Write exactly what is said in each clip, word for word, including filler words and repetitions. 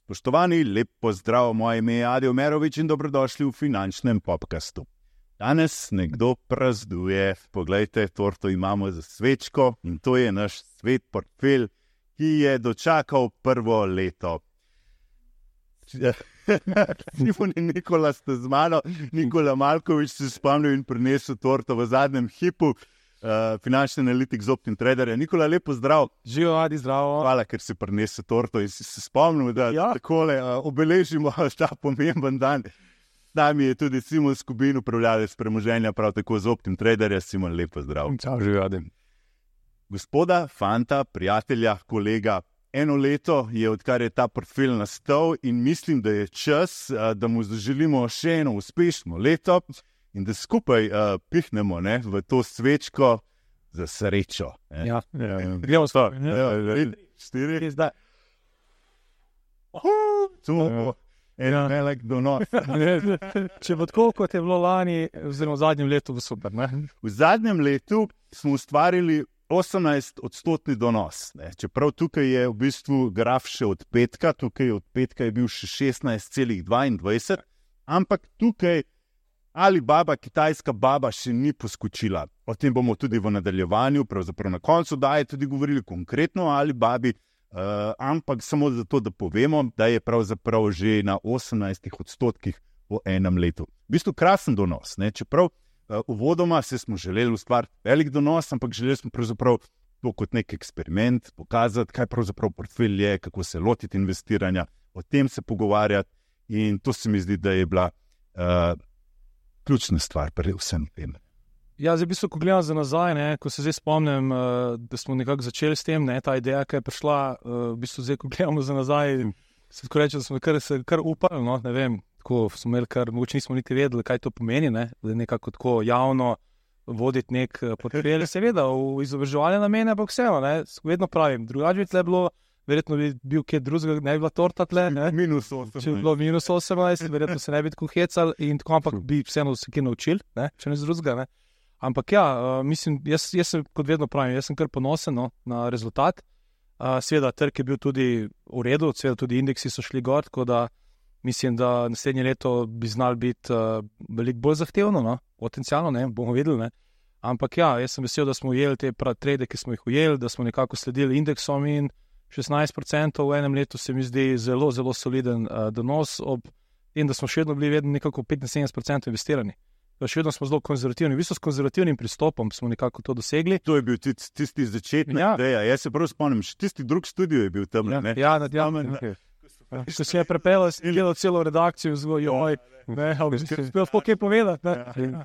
Spoštovani, lep pozdrav, moje ime je Adi Omerovič in dobrodošli v finančnem podcastu. Danes nekdo praznuje, poglejte, torto imamo za svečko in to je naš svet portfelj, ki je dočakal prvo leto. Simon in Nikola ste z mano, Nikola Malkovič se spomnil in prinesel torto v zadnjem hipu, uh, finančni analitik z Optimtrader. Nikola, lepo zdrav. Živijo, Adi, zdravo. Hvala, ker si prinesel torto in si se spomnil, da ja. takole uh, obeležimo ta pomemben dan. Z nami je tudi Simon Skubin, upravljalec premoženja, prav tako z Optimtraderja. Simon, lepo zdrav. Čau, živijo, Adi. Gospoda, fanta, prijatelja, kolega, eno leto je, odkar je ta portfelj nastal in mislim, da je čas, da mu zaželimo še eno uspešno leto in da skupaj uh, pihnemo ne, v to svečko za srečo. Ne. Ja, ja, ja. Gremo s to. Ja, ja, štiri. Zdaj. To bo en Ja. velik donos. Če bo tako, kot je bilo lani, oziroma v zadnjem letu, bo super. Ne? V zadnjem letu smo ustvarili osemnajst odstotni donos. Ne. Čeprav tukaj je v bistvu graf še od petka, tukaj od petka je bil še šestnajst celih dvaindvajset, ampak tukaj Alibaba, kitajska baba, še ni poskočila. O tem bomo tudi v nadaljevanju, pravzaprav na koncu daje tudi govorili konkretno o Alibabi, uh, ampak samo zato, da povemo, da je pravzaprav že na osemnajstih odstotkih po enem letu. V bistvu krasen donos, ne, čeprav Uh, uvodoma se smo želeli ustvariti velik donos, ampak želeli smo pravzaprav to kot nek eksperiment, pokazati, kaj pravzaprav portfelj je, kako se lotiti investiranja, o tem se pogovarjati in to se mi zdi, da je bila uh, ključna stvar pri vsem tem. Ja, zdaj v bistvu, ko gledam za nazaj, ne, ko se zdaj spomnim, uh, da smo nekako začeli s tem, ne, ta ideja, ki je prišla, uh, v bistvu zdaj, ko gledamo za nazaj, se tako reče, da smo kar, se kar upali, no, ne vem, tako smo imeli kar, mogoče nismo niti vedeli, kaj to pomeni, ne? Da nekako tako javno voditi nek portfelj, seveda v izobraževalne namene, ampak vseeno, ne, vedno pravim, drugače bi tle bilo, verjetno bi bil kje drugega, ne bi bila torta tle, ne, Minus osemnajst. če bi bilo minus osemnajst, verjetno se ne bi tako hecali in tako, ampak bi vseeno se kje naučili, ne, če ne z drugega, ne. Ampak ja, uh, mislim, jaz, jaz sem, kot vedno pravim, jaz sem kar ponosen, no, na rezultat, uh, seveda trg je bil tudi v redu, seveda tudi indeksi so šli gor, tako da mislim, da naslednje leto bi znal biti uh, veliko bolj zahtevno, no? Potencialno, ne, bomo videli, ne. Ampak ja, jaz sem vesel, da smo ujeli te trade, ki smo jih ujeli, da smo nekako sledili indeksom in šestnajst procentov v enem letu se mi zdi zelo, zelo soliden uh, donos, ob tem, da smo še vedno bili vedno nekako petinsedemdeset procentov investirani. Da še vedno smo zelo konzervativni. V bistvu s konzervativnim pristopom smo nekako to dosegli. To je bil tisti, tisti začetni Ja. ideja. Jaz se prav spomnim, še tisti drug studio je bil tam. Ja, Ne? ja, ja, ja, Amen. okay. Ko si je prepel, si gledal celo redakcijo, zelo joj, ne, ali si spel kaj povedati, ne. Ja.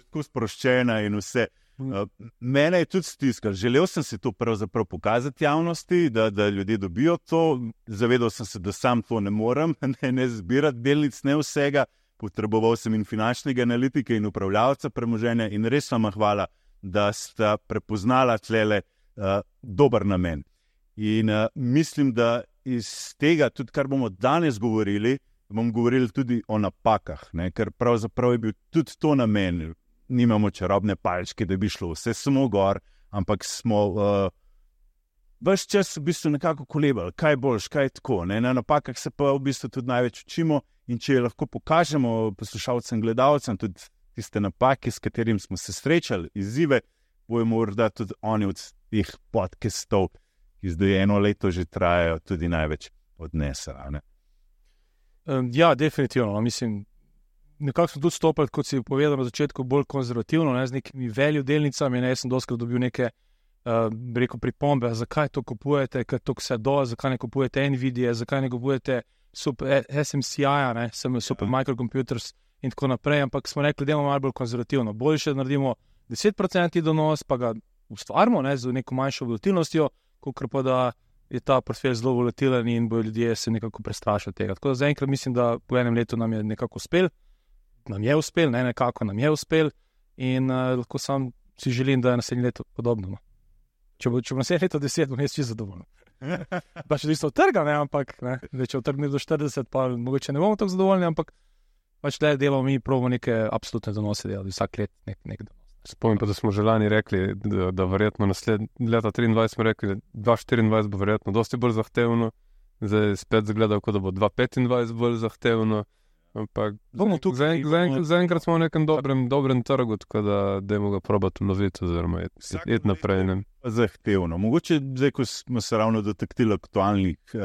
Tako sproščena in vse. Uh, mene je tudi stiskal. Želel sem si to pravzaprav pokazati javnosti, da, da ljudje dobijo to. Zavedal sem se, da sam to ne morem, ne, ne zbirati delnic, ne vsega. Potreboval sem in finančnega analitika in upravljavca premoženja in res vam hvala, da sta prepoznala tlele uh, dober namen. In uh, mislim, da iz tega, tudi kar bomo danes govorili, bomo govorili tudi o napakah, ne? Ker pravzaprav je bil tudi to namen. Nimamo čarobne palčke, da bi šlo vse samo gor, ampak smo uh, ves čas v bistvu nekako kolebali, kaj boljš, kaj tako. Ne? Na napakah se pa v bistvu tudi največ učimo in če lahko pokažemo poslušalcem, gledalcem tudi tiste napake, s katerim smo se srečali, izzive, bojo morda tudi oni od teh podcastov, ki zdaj eno leto že trajajo, tudi največ odnesla. Ne? Um, ja, definitivno, mislim, nekako smo tudi stopili, kot si povedal na začetku, bolj konzervativno, ne, z nekimi value delnicami, ne, jaz sem doskrat dobil neke, uh, rekel, pripombe, zakaj to kupujete, ker to vse do, zakaj ne kupujete Nvidia, zakaj ne kupujete super, S M C I-ja, ne, super Ja. microcomputers in tako naprej, ampak smo rekli, da imamo malo bolj konzervativno, bolj še naredimo deset procentov donos, pa ga ustvarimo, ne, z neko manjšo volatilnostjo, kakor pa da je ta portfelj zelo volatilen in bojo ljudje se nekako prestrašili tega. Tako da zaenkrat mislim, da po enem letu nam je nekako uspel, nam je uspel, ne nekako nam je uspel in uh, lahko sam si želim, da je naslednje leto podobno. No. Če bo, če bo naslednje leto deset, bom jaz čisto zadovoljen. Pa še isto trga, ne, ampak ne, da če utrgne do štirideset, pa mogoče ne bomo tako zadovoljni, ampak pač le delamo mi, probamo neke absolutne donose delati, vsak let nek, nek donos. Spomnim pa, da smo že lani rekli, da, da verjetno naslednje leta triindvajset smo rekli, da dva tisoč štiriindvajset bo verjetno dosti bolj zahtevno. Zdaj spet zgledal, kot da bo dva tisoč petindvajset bolj zahtevno. Ampak zaenkrat za za smo v nekem dobrem, dobrem trgu, tako da dajmo ga probati uloviti oziroma iti naprej. Ne? Zahtevno. Mogoče zdaj, ko smo se ravno dotaknili aktualnih uh,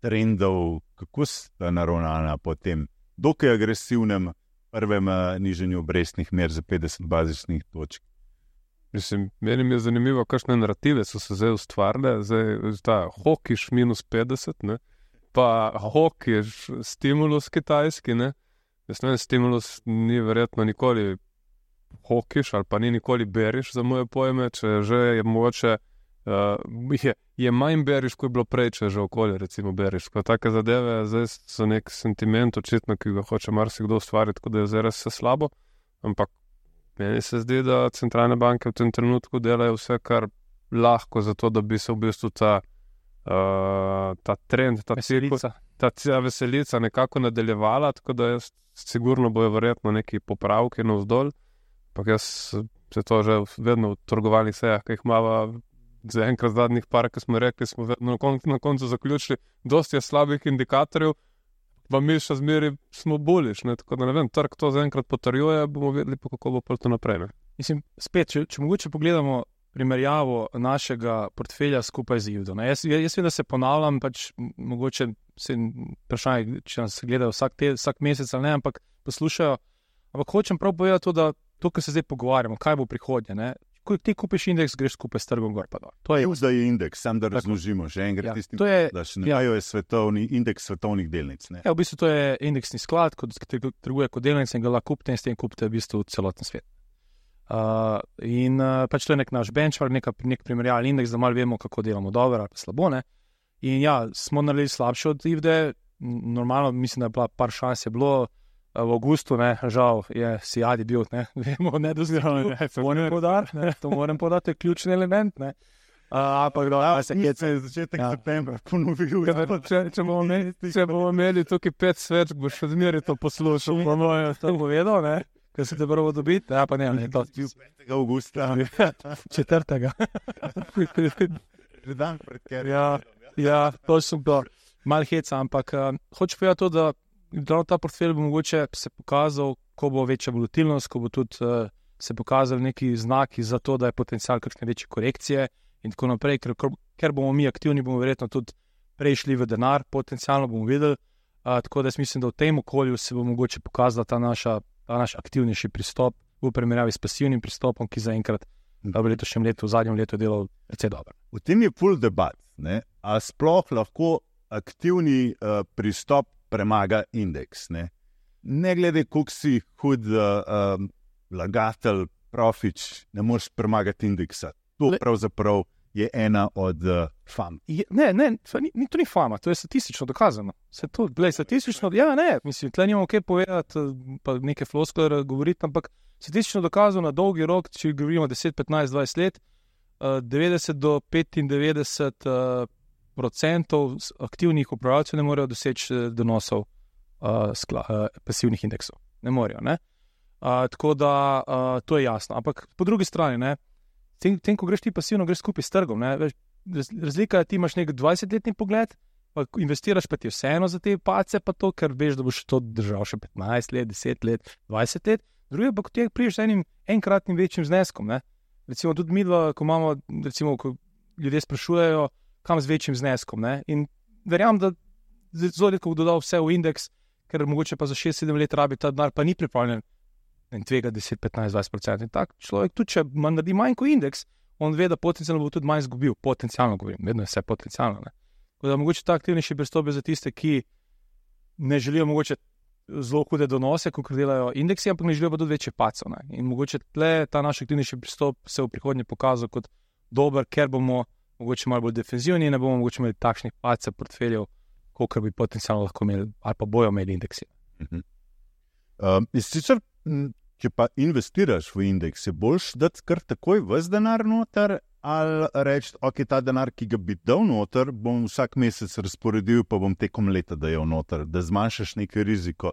trendov, kako sta naravnana po tem dokaj agresivnem prvem uh, nižanju obrestnih mer za petdeset bazičnih točk. Mislim, meni je zanimivo, kakšne narative so se zdaj ustvarile. Zdaj ta hokiš minus petdeset, ne? Pa hokiš stimulus kitajski, ne? Jaz ne vem, stimulus ni verjetno nikoli hokiš ali pa ni nikoli beriš za moje pojme, če že je mogoče, uh, je, je manj beriš, ko je bilo prej, če že okolje recimo beriš. Ko take zadeve zdaj so nek sentiment očitno, ki ga hoče marsikdo ustvariti, tako da je zdaj res vse slabo, ampak meni se zdi, da centralne banke v tem trenutku delajo vse, kar lahko za to, da bi se v bistvu ta Uh, ta trend, ta veselica. ta veselica nekako nadaljevala, tako da jaz sigurno bojo verjetno neki popravki navzdol, ampak jaz se to že vedno v trgovalnih sejah, ki jih imava za enkrat zadnjih par, ki smo rekli, smo vedno na, kon na koncu zaključili, dosti je slabih indikatorjev, pa mi še zmeri smo boliš, ne? Tako da ne vem, trg to zaenkrat potrjuje, bomo vedeli pa, kako bo pa to naprej. Ne? Mislim, spet, če, če mogoče pogledamo primerjavo našega portfelja skupaj z Ivdo. Jaz, jaz vem, da se ponavljam, pač mogoče se vprašanje, če nas gledajo vsak, te, vsak mesec ali ne, ampak poslušajo. Ampak hočem prav povedati to, da to, kar se zdaj pogovarjamo, kaj bo prihodnje, ne? Ko ti kupiš indeks, greš skupaj s trgom gor pa dol. To je Ivda je indeks, sam da razložimo, že enkrat ja, tistim, je, da še ne ja. je svetovni indeks svetovnih delnic. Ne? Ja, v bistvu to je indeksni sklad, ki trguje kot delnice in ga lahko kupite in s tem kupite v bistvu celoten svet. Uh, in uh, pač to je nek naš benchmark, neka, nek primerjalni indeks, da malo vemo, kako delamo dobro ali pa slabo, ne. In ja, smo naredili slabše od Ivde, normalno, mislim, da je bila par šans je bilo, uh, v avgustu, ne, žal je Sijadi bil, ne, vemo, ne dozirano, ne, to moram podati, ne, to moram podati, to je ključni element, ne. Uh, ampak da, ja, se je začetek ja. septembra ponovil. Ja, če, če bomo imeli, če bomo imeli tukaj pet sveč, boš še zmeri to poslušal, po mojem, to povedal, ne. Ker se te prvo dobiti, ja pa ne, ne, to je petega avgusta. četrtega. Že dan pred ker. Ja, ja, to sem to. Mal heca, ampak uh, hoče povedati to, da ta portfelj bo mogoče se pokazal, ko bo večja volatilnost, ko bo tudi uh, se pokazali neki znaki za to, da je potencial kakšne večje korekcije in tako naprej, ker, ker bomo mi aktivni, bomo verjetno tudi prešli v denar, potencialno bomo videli, uh, tako da jaz mislim, da v tem okolju se bo mogoče pokazala ta naša ta naš aktivnejši pristop v primerjavi s pasivnim pristopom, ki zaenkrat v letošnjem letu, v zadnjem letu delal precej dobro. V tem je full debat, ne? A sploh lahko aktivni uh, pristop premaga indeks, ne? Ne glede, koliko si hud uh, um, lagatelj, profič, ne moreš premagati indeksa. To Le... pravzaprav je ena od uh, fam. Je, ne, ne, ni, ni, to ni fama, to je statistično dokazano. Se to, gled, statistično, ja, ne, mislim, tle nimamo kaj povedati, pa neke floskole govoriti, ampak statistično dokazano na dolgi rok, če govorimo deset, petnajst, dvajset let, uh, devetdeset do petindevetdeset uh, procentov aktivnih upravljalcev ne morejo doseči uh, donosov uh, skla, uh, pasivnih indeksov. Ne morejo, ne? Uh, tako da uh, to je jasno. Ampak po drugi strani, ne, Tem, tem, ko greš ti pasivno, greš skupaj s trgom. Ne? Razlika je, ti imaš nek dvajsetletni pogled, pa investiraš pa ti vseeno za te pace, pa to, ker veš, da boš to držal še petnajst let, deset let, dvajset let. Drugi pa, ko ti priješ z enim enkratnim večjim zneskom. Ne? Recimo tudi mi dva, ko imamo, recimo, ko ljudje sprašujejo, kam z večjim zneskom. Ne? In verjamem, da zelo redko bo dodal vse v indeks, ker mogoče pa za šest sedem let rabi ta denar, pa ni pripravljen in tvega deset, petnajst, dvajset procent. In tak človek, tudi če naredi manj kot indeks, on ve, da potencialno bo tudi manj izgubil. Potencialno govorim, vedno je vse potencialno. Ne? Da mogoče ta aktivnejši pristop je za tiste, ki ne želijo mogoče zelo hude donose, kot delajo indeksi, ampak ne želijo pa tudi večje pacov. Ne? In mogoče tle ta naš aktivnejši pristop se v prihodnje pokazal kot dober, ker bomo mogoče malo bolj defenzivni in ne bomo mogoče imeli takšnih pacev portfeljev, kolikor bi potencialno lahko imeli ali pa bojo imeli indeksi. Mhm. Um, sicer, če pa investiraš v indeks, je boljš dati kar takoj ves denar noter ali reči, ok, ta denar, ki ga bi dal noter, bom vsak mesec razporedil, pa bom tekom leta dajal noter, da zmanjšaš neki riziko.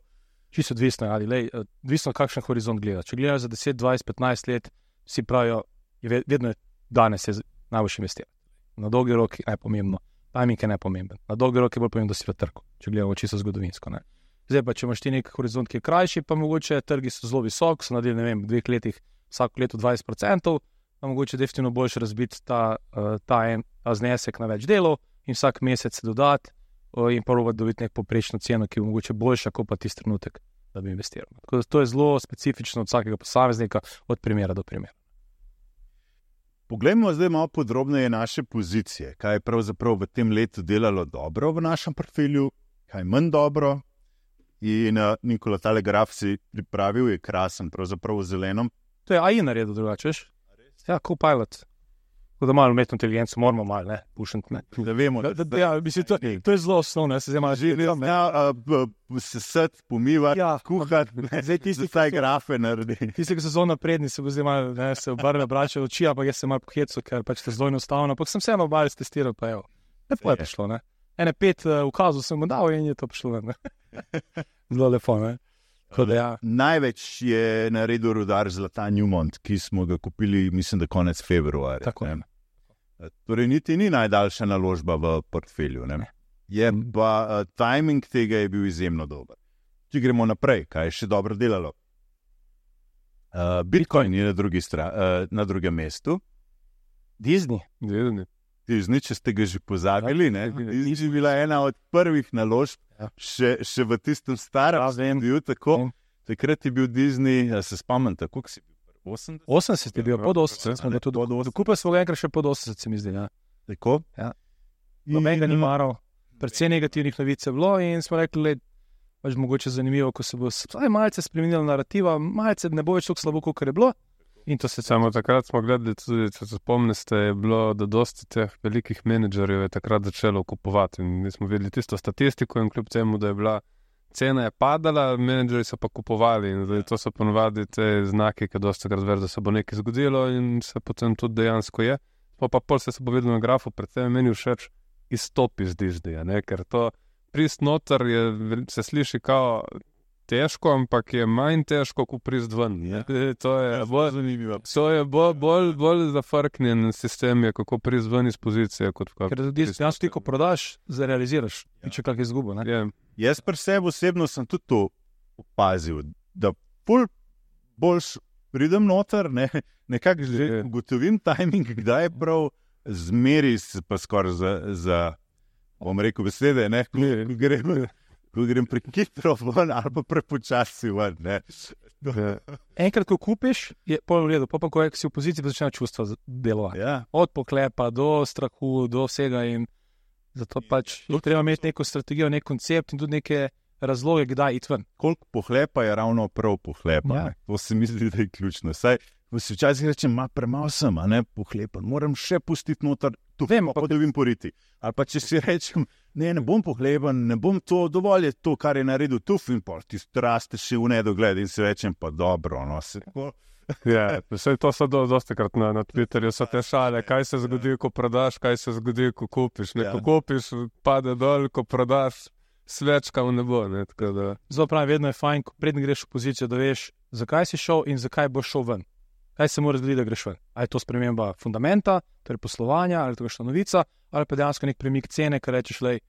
čisto odvisno, ali lej, odvisno, kakšen horizont gleda. Če gledajo za deset, dvajset, petnajst let, vsi pravijo, je vedno je danes je najboljši investirati. Na dolgi rok je najpomembno, timing je najpomemben. Na dolgi rok je bolj pomembno, da si v trgu, če gledamo čisto zgodovinsko. Ne. Zdaj pa, če imaš ti nek horizont, ki je krajši, pa mogoče trgi so zelo visok, so naredili, ne vem, v dveh letih vsako leto dvajset procentov, pa mogoče definitivno boljše razbiti ta, ta, en, ta znesek na več delov in vsak mesec se dodati in probati dobiti nek poprečno ceno, ki je mogoče boljša, kot pa tisti trenutek, da bi investiral. Tako da to je zelo specifično od vsakega posameznika, od primera do primera. Poglejmo zdaj malo podrobneje naše pozicije. Kaj je pravzaprav v tem letu delalo dobro v našem portfelju, kaj manj dobro. In uh, Nikola, tale graf si pripravil, je krasen, pravzaprav v zelenom. To je A I naredil drugače, veš? Ja, Copilot. Tako da malo umetno inteligenco moramo malo, ne, pušiti, ne. Da vemo, da... da, da ja, mislim, to, to je zelo osnovno, jaz se zdaj malo želim. Ja, sesati, pomivati, ja, kuhati, zdaj tisti, ki taj grafe naredi. Tisti, ki so zelo napredni, se bo zdaj malo, ne, se obrne brače oči, ampak jaz se malo pohecu, ker pač to zelo enostavno, ampak sem vseeno obalj testiral, pa evo. Lepo je prišlo, ne. Ene pet uh, ukazov sem mu dal in je to prišlo, ne. Zelo lepo, ne. Da, ja. Največ je naredil rudar Zlata Newmont, ki smo ga kupili, mislim, da konec februarja. Tako. Ne. Torej, niti ni najdaljša naložba v portfelju. Ne? Je pa uh, timing tega je bil izjemno dober. Če gremo naprej, kaj je še dobro delalo? Uh, Bitcoin je na, drugi stra, uh, na drugem mestu. Disney. Disney. Disney, če ste ga že pozabili, ne? Disney je bila ena od prvih naložb, ja. še, še v tistem starem obdobju. Tako. Takrat je bil Disney, se spomnim, tako si bil. osemdeset? osemdeset je bil, pod osemdeset. Dokupil smo ga enkrat še pod osemdeset, se mi zdi. Ja. Tako? Ja. Noben ga ni maral. Predvsej negativnih novic je bilo in smo rekli, le, pač mogoče zanimivo, ko se bo malce spremenila narativa, malce ne bo več tako slabo, kot je bilo. In to se samo takrat smo gledali, tudi, če se spomnite, je bilo, da dosti teh velikih menedžerjev je takrat začelo kupovati. In mi smo videli tisto statistiko in kljub temu, da je bila cena je padala, menedžerji so pa kupovali in zdaj to so ponovadi te znaki, ki dosti krat ver, da se bo nekaj zgodilo in se potem tudi dejansko je. Pa pa pol se se bo videlo na grafu, predvsem meni všeč izstop iz Disneyja, ne, ker to prist noter je, se sliši kao težko, ampak je manj težko, kot prist ven. Ja. To je bolj zanimivo. To je bolj, bolj, bolj zafrknjen sistem, je kako prist ven iz pozicije. Kot ker tudi dejansko ti, ko prodaš, zarealiziraš, ja. Če kak izgubo. Ne? Ja. Jaz pri sebi osebno sem tudi to opazil, da pol boljš pridem noter, ne, nekako že ja. Ugotovim timing, kdaj je prav zmeri pa skoraj za, za, bom rekel besede, ne, ko, ja. ko grem, ko grem prekitro ven ali pa prepočasi ven, ne. Ja. Enkrat, ko kupiš, je pol v redu, pa pa ko si v poziciji, pa začne čustva delovati. Ja. Od poklepa do strahu, do vsega in zato pač ja. Treba imeti neko strategijo, nek koncept in tudi neke razloge, kdaj iti ven. Koliko pohlepa je ravno prav pohlepa. Ja. To se mi zdi, da je ključno. Saj, si včasih rečem, ma premalo sem, a ne pohlepa, moram še pustiti noter, tu vem, pa da vim poriti. Ali pa če si rečem, ne, ne bom pohleban, ne bom to, dovolj je to, kar je naredil tuf in pol, ti raste še v nedogled in si rečem, pa dobro, no, se tako... Ja, vse to so do, dosti krat na, na Twitterju, so te šale, kaj se zgodi, ko prodaš, kaj se zgodi, ko kupiš. Ne, ja. Ko kupiš, pade dol, ko prodaš, svečka v nebo. Ne, tako da... Zelo pravi, vedno je fajn, ko predn greš v pozicijo, da veš, zakaj si šel in zakaj boš šel ven. Kaj se mora zgoditi, da greš ven? Ali je to sprememba fundamenta, torej poslovanja, ali je to kakšna novica, ali pa dejansko nek premik cene, kar rečeš, lej,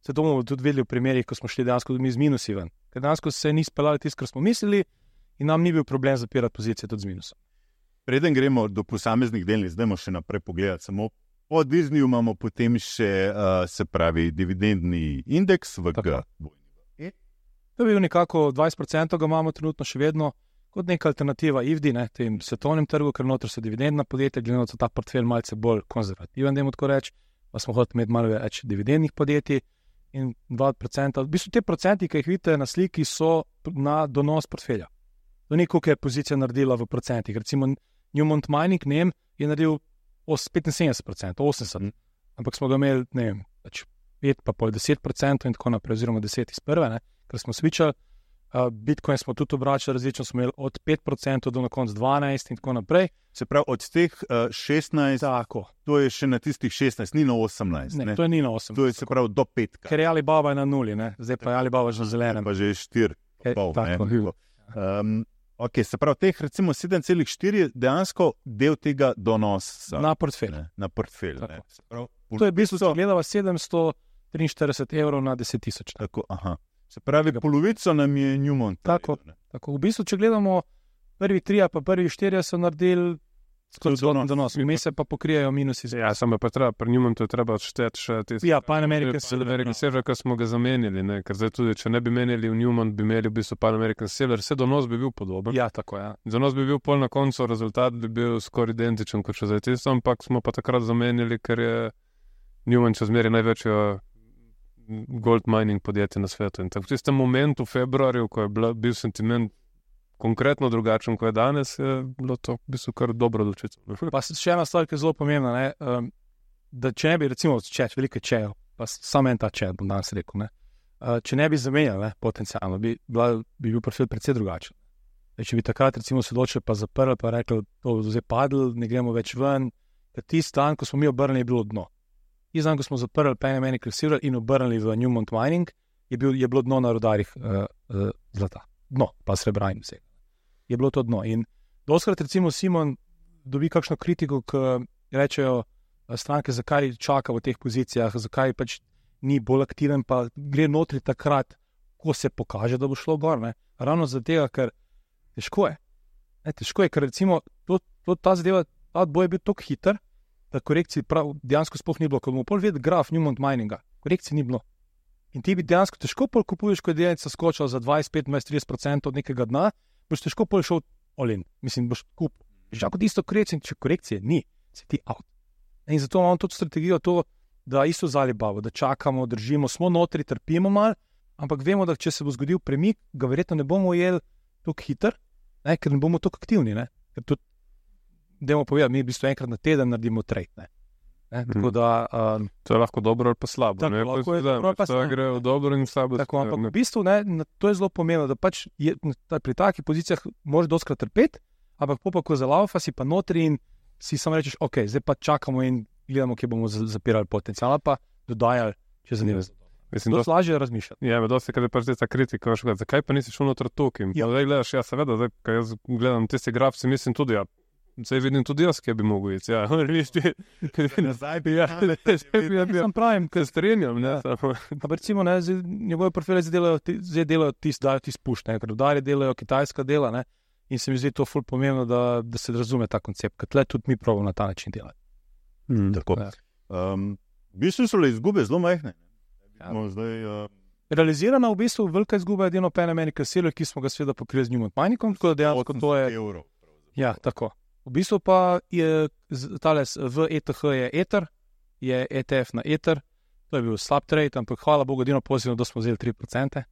se to bomo tudi videli v primerih, ko smo šli dejansko mi z minusi ven. Ker dejansko se ni speljali tisto, kar smo mislili, in nam ni bil problem zapirati pozicije tudi z minusom. Preden gremo do posameznih delnic, zdajmo še naprej pogledati. Samo po Disneyju imamo potem še, uh, se pravi, dividendni indeks v G. E? To je bil nekako dvajset procentov, ga imamo trenutno še vedno kot neka alternativa I V D, ne, tem svetovnem trgu, ker noter so dividendna podjetja, glede na to ta portfelj malce bolj konzervativen, dajmo tako reči, pa smo hoteli imeti malo več dividendnih podjetij in dva procenta. V bistvu te procenti, ki jih vidite na sliki, so na donos portfelja. To ni, koliko je pozicija naredila v procentih. Recimo Newmont Mining, ne vem, je naredil petinsedemdeset procentov, osemdeset, ampak smo ga imeli, ne vem, pet pa pol deset procentov in tako naprej, oziroma deset iz prve, ne, ker smo switchali. Uh, Bitcoin smo tudi obračali različno, smo imeli od pet procentov do na konc dvanajst in tako naprej. Se pravi, od teh uh, šestnajst, tako. To je še na tistih šestnajst, ni na osemnajst. Ne, ne? To je ni na osemnajst. To je se pravi do petka. Ker je Alibaba na nuli, ne, zdaj pa je Alibaba že na zelenem. Pa že je štir. E, pol. tako. Ne, um, okay, se pravi, teh recimo sedem celih štiri je dejansko del tega donosa. Na portfelj. Ne, na portfelj. Tako. Ne. Se pravi, To je v bistvu, če gledava sedemsto triinštirideset evrov na deset tisoč. tako, aha. Se pravi, polovico nam je Newmont. Tako. Ne. Tako, v bistvu, če gledamo prvi tri, pa prvi štirje so naredili Skozi celoten donos. donos, vmes se pa pokrijejo minusi. Ja, samo pa treba, pri njemu to je treba odšteti še tisti. Ja, Pan American Silver. American Silver, ki smo ga zamenjali, ne? Ker zdaj tudi, če ne bi menjali v Newmont, bi imeli v bistvu Pan American Silver, vse donos bi bil podoben. Ja, tako, ja. Donos bi bil pol na koncu, rezultat bi bil skoraj identičen kot še zdaj tisto, ampak smo pa takrat zamenjali, ker je Newmont še zmeraj največjo gold mining podjetje na svetu. In tako v tistem momentu, v februarju, ko je bila, bil sentiment konkretno drugačen, kot je danes, je bilo to v bistvu kar dobro odločitev. Pa še ena stvar, ki je zelo pomembna, ne, um, da če ne bi, recimo, če veliko čejev, pa samo en ta čej, bom danes rekel, ne, uh, če ne bi zamenjali, ne, potencialno, bi, bila, bi bil profil precej drugačen. Zdaj, če bi takrat, recimo, se odločili pa zaprli, pa rekli, to je zdaj padlo, ne gremo več ven, da tisti dan, ko smo mi obrnili, je bilo dno. Tisti dan, ko smo zaprli Pan American Silver in obrnili v Newmont Mining, je, bil, je bilo dno na rudarjih uh, uh, zlata. Dno, pa srebra in vse. Je bilo to dno. In doskrat, recimo, Simon dobi kakšno kritiko, ki rečejo stranke, zakaj čaka v teh pozicijah, zakaj pač ni bolj aktiven, pa gre notri takrat, ko se pokaže, da bo šlo gor. Ne? Ravno zato, ker težko je. Ne, težko je, ker recimo to, to, ta zadeva, ta boj je bil tako hiter, da korekcij prav dejansko sploh ni bilo. Ko bomo pol videli graf Newmont Mininga, korekcij ni bilo. In ti bi dejansko težko pol kupuješ, ko je delnica skočila za dvajset, petnajst, trideset procent od nekega dna, boš težko pol šel olin. Mislim, boš kupil. Že kot isto korekcije, če korekcije ni, si ti out. In zato imamo tudi strategijo to, da isto z Alibabo, da čakamo, držimo, smo notri, trpimo mal, ampak vemo, da če se bo zgodil premik, ga verjetno ne bomo ujeli tako hiter, ne, ker ne bomo tako aktivni. Ne. Ker tudi, dajmo povedati, mi v bistvu enkrat na teden naredimo trade. Ne. Ne, tako da, um, To je lahko dobro ali pa slabo. Tako, ne, lahko pa je da, dobro ali pa to slabo. gre v dobro in v slabo. tako, ampak ne. v bistvu ne, na- to je zelo pomembno, da pač je, ta, pri takih pozicijah moraš doskrat trpeti, ampak po pa, ko zalaufa, si pa notri in si samo rečeš, ok, zdaj pa čakamo in gledamo, kje bomo z- zapirali potencial, ali pa dodajali, če zadeve. Mislim, To dosti, je lažje razmišljati. ja, me dosti, kad je pač ta kritika, veš, gled, zakaj pa nisi šel noter tukaj? Ja. Ja. Zdaj gledaš, ja, seveda, zdaj, ko jaz gledam tisti graf, si mislim tudi, ja, zdaj vidim tudi jaz, kje bi mogel iti. Ja, vidiš ti, Nazaj bi ja, ja, ja, ja, Sam pravim, se strinjam, ne, samo. pa recimo, ne, zdaj, njegove profile zdaj delajo, ti- zdaj delajo tisti, dajo tisti push, ne, ker rudarji delajo kitajska dela, ne, in se mi zdi to ful pomembno, da, da se razume ta koncept, ker tle tudi mi probamo na ta način delati. Tako. Ja. Um, v bistvu so le izgube zelo majhne. Ja. No, zdaj, uh, Realizirana v bistvu velika izguba je edino Pan American Silver, ki smo ga seveda pokrili z Newmont Miningom, tako da dejansko to je. evrov. Ja, tako. V bistvu pa je z- tale s- v E T H je Ether, je E T F na Ether, to je bil slab trade, ampak hvala Bogu, edino pozitivno, da smo vzeli tri procente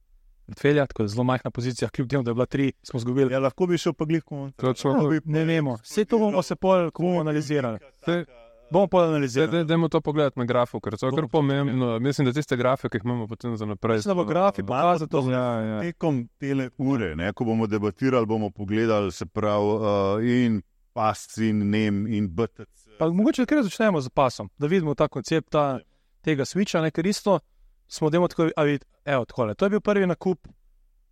portfelja, tako da zelo majhna pozicija, kljub temu, da je bila tri, smo izgubili. Ja, lahko bi šel pa glih kontra. Točno. Lahko bi pa- Ne vemo, vse to bomo se pol, ko bomo analizirali. Saj- Bomo pol Zdaj, analizirali. daj- dajmo to pogledati na grafu, ker to je kar pomembno. Mislim, da tiste grafe, ki jih imamo potem za naprej. Mislim, da bo grafi pokazal to. Ja, ja. Tekom tele ure, ne, ko bomo debatirali, bomo pogledali, se pravi, uh, in P A S, in N E M, in B T C. Pa mogoče kar začnemo z pasom, da vidimo ta koncept ta, tega switcha, ne, ker isto smo demo tako, a vid, evo, takole, to je bil prvi nakup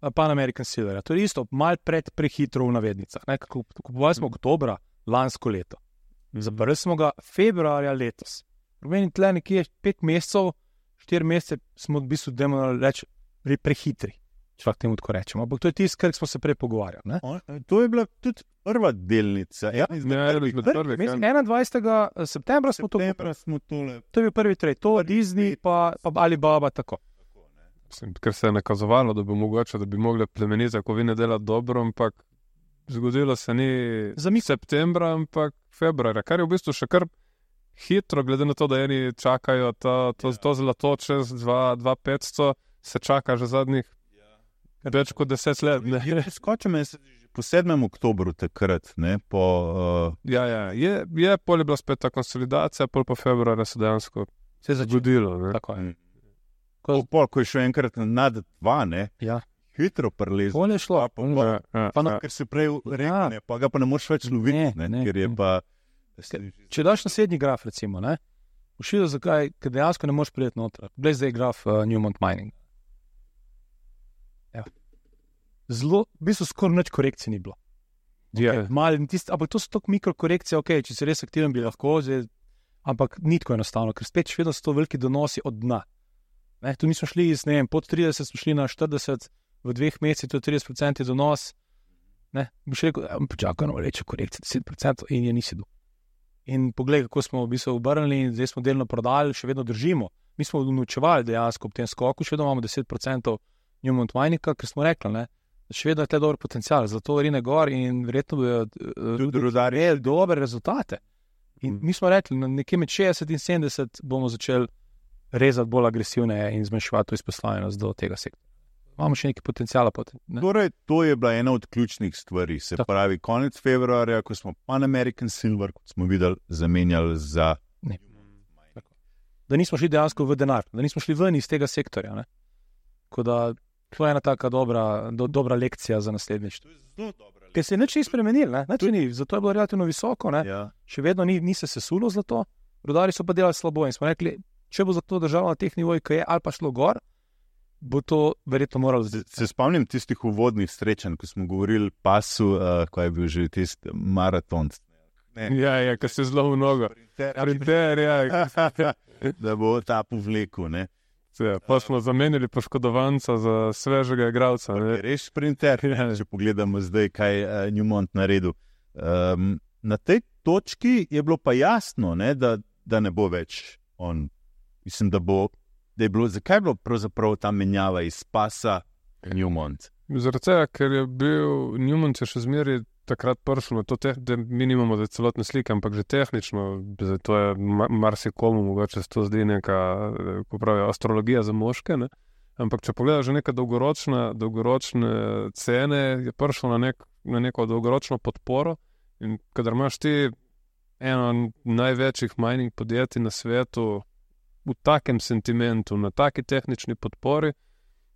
uh, Pan American Silverja, to je isto, mal pred prehitro v navednicah, ne, kup- kupovali smo oktobra lansko leto, zaprli smo ga februarja letos. Pomeni tle nekje pet mesecev, štiri mesece smo v bistvu, demo reči, pre- prehitri, če lahko temu tako rečemo, ampak to je tisto, kar smo se prej pogovarjali, ne. O, To je bila tudi prva delnica. Ja, Ja, izmed prvih, ja. Mislim, enaindvajsetega septembra smo to septembra smo tole. To je bil prvi trade, to Disney, pa, pa Alibaba, tako. Mislim, ker se je nakazovalo, da bi mogoče, da bi mogli plemenite kovine delati dobro, ampak zgodilo se ni Zamik. septembra, ampak februarja, kar je v bistvu še kar hitro, glede na to, da eni čakajo to, to, to zlato čez dva tisoč petsto, se čaka že zadnjih več kot deset let. Ne? Ja, skočim jaz že po sedmem oktobru takrat, ne, po... Uh, Ja, ja, je, je pol je bila spet ta konsolidacija, pol pa februarja se dejansko Se je začelo. zgodilo. Ne? Tako je. mm. Ko- po, pol, ko je šel enkrat nad dva, ne, Ja. hitro prelezel. Bolje je šlo. Pa, pa, pa, Ja, ja, Pa na- ja. ker se prej rekne, pa ga pa ne moreš več loviti, Ne, ne, ne, ker je ne. pa... Če daš naslednji graf, recimo, ne, boš videl, zakaj, ker dejansko ne moreš priti noter. Glej zdaj graf uh, Newmont Mining. Evo. zelo, v bistvu skoraj nič korekcij ni bilo. Yeah. Okay, tist, ampak to so tako mikrokorekcije, ok, če si res aktiven, bi lahko, zdaj, ampak ni tako enostavno, ker spet še vedno so to veliki donosi od dna. Ne, tu nismo šli iz, ne vem, pod trideset, smo šli na štirideset, v dveh mesecih to je trideset procentov donos. Ne, bi še rekel, počakaj, no, reče korekcija deset procentov in je nisi do. In poglej, kako smo v bistvu obrnili in zdaj smo delno prodali, še vedno držimo. Mi smo unovčevali dejansko ob tem skoku, še vedno imamo deset procentov Newmont Mininga, ker smo rekli, ne, še vedno je tle dober potencial, zato rine gor in verjetno bojo rudarji dobre rezultate. In mi smo rekli, na nekje med šestdeset in sedemdeset bomo začeli rezati bolj agresivne in zmanjševati to izpostavljenost do tega sektora. Imamo še nekaj potencijala. Ne? Torej, to je bila ena od ključnih stvari. Se Tako. pravi, konec februarja, ko smo Pan American Silver, kot smo videli, zamenjali za... Ne. Da nismo šli dejansko v denar, da nismo šli ven iz tega sektorja. Ne? Tako da to je ena taka dobra, do, dobra lekcija za naslednjič. Ker se je nič ni spremenil, ne? Nič ni, zato je bilo relativno visoko. Ja. Še vedno ni, ni se sesulo zlato, rudari so pa delali slabo in smo rekli, če bo zlato držalo na teh nivojih, ki je, ali pa šlo gor, bo to verjetno moralo... Se, se spomnim tistih uvodnih srečanj, ko smo govorili pasu, uh, ko je bil že tisti maraton. Ne. Ja, ja, ko se zelo mnogo. Printer, ja. Da bo ta povlekel, ne. Ja, pa smo zamenjali poškodovanca za svežega igralca. Res sprinter, ja. Če pogledamo zdaj, kaj je uh, Newmont naredil. Um, na tej točki je bilo pa jasno, ne, da, da ne bo več on. Mislim, da bo Da je bilo, zakaj je bilo pravzaprav ta menjava iz pasa Newmont? Zaradi tega, ker je bil Newmont je še zmeri takrat prišel na to, te, da mi nimamo zdaj celotne slike, ampak že tehnično, zdaj to je marsikomu, mogoče se to zdi neka, ko pravijo, astrologija za moške, ne? Ampak če pogledaš že neka dolgoročna, dolgoročne cene, je prišel na, nek, na neko dolgoročno podporo in kadar imaš ti eno največjih mining podjetij na svetu, v takem sentimentu, na taki tehnični podpori,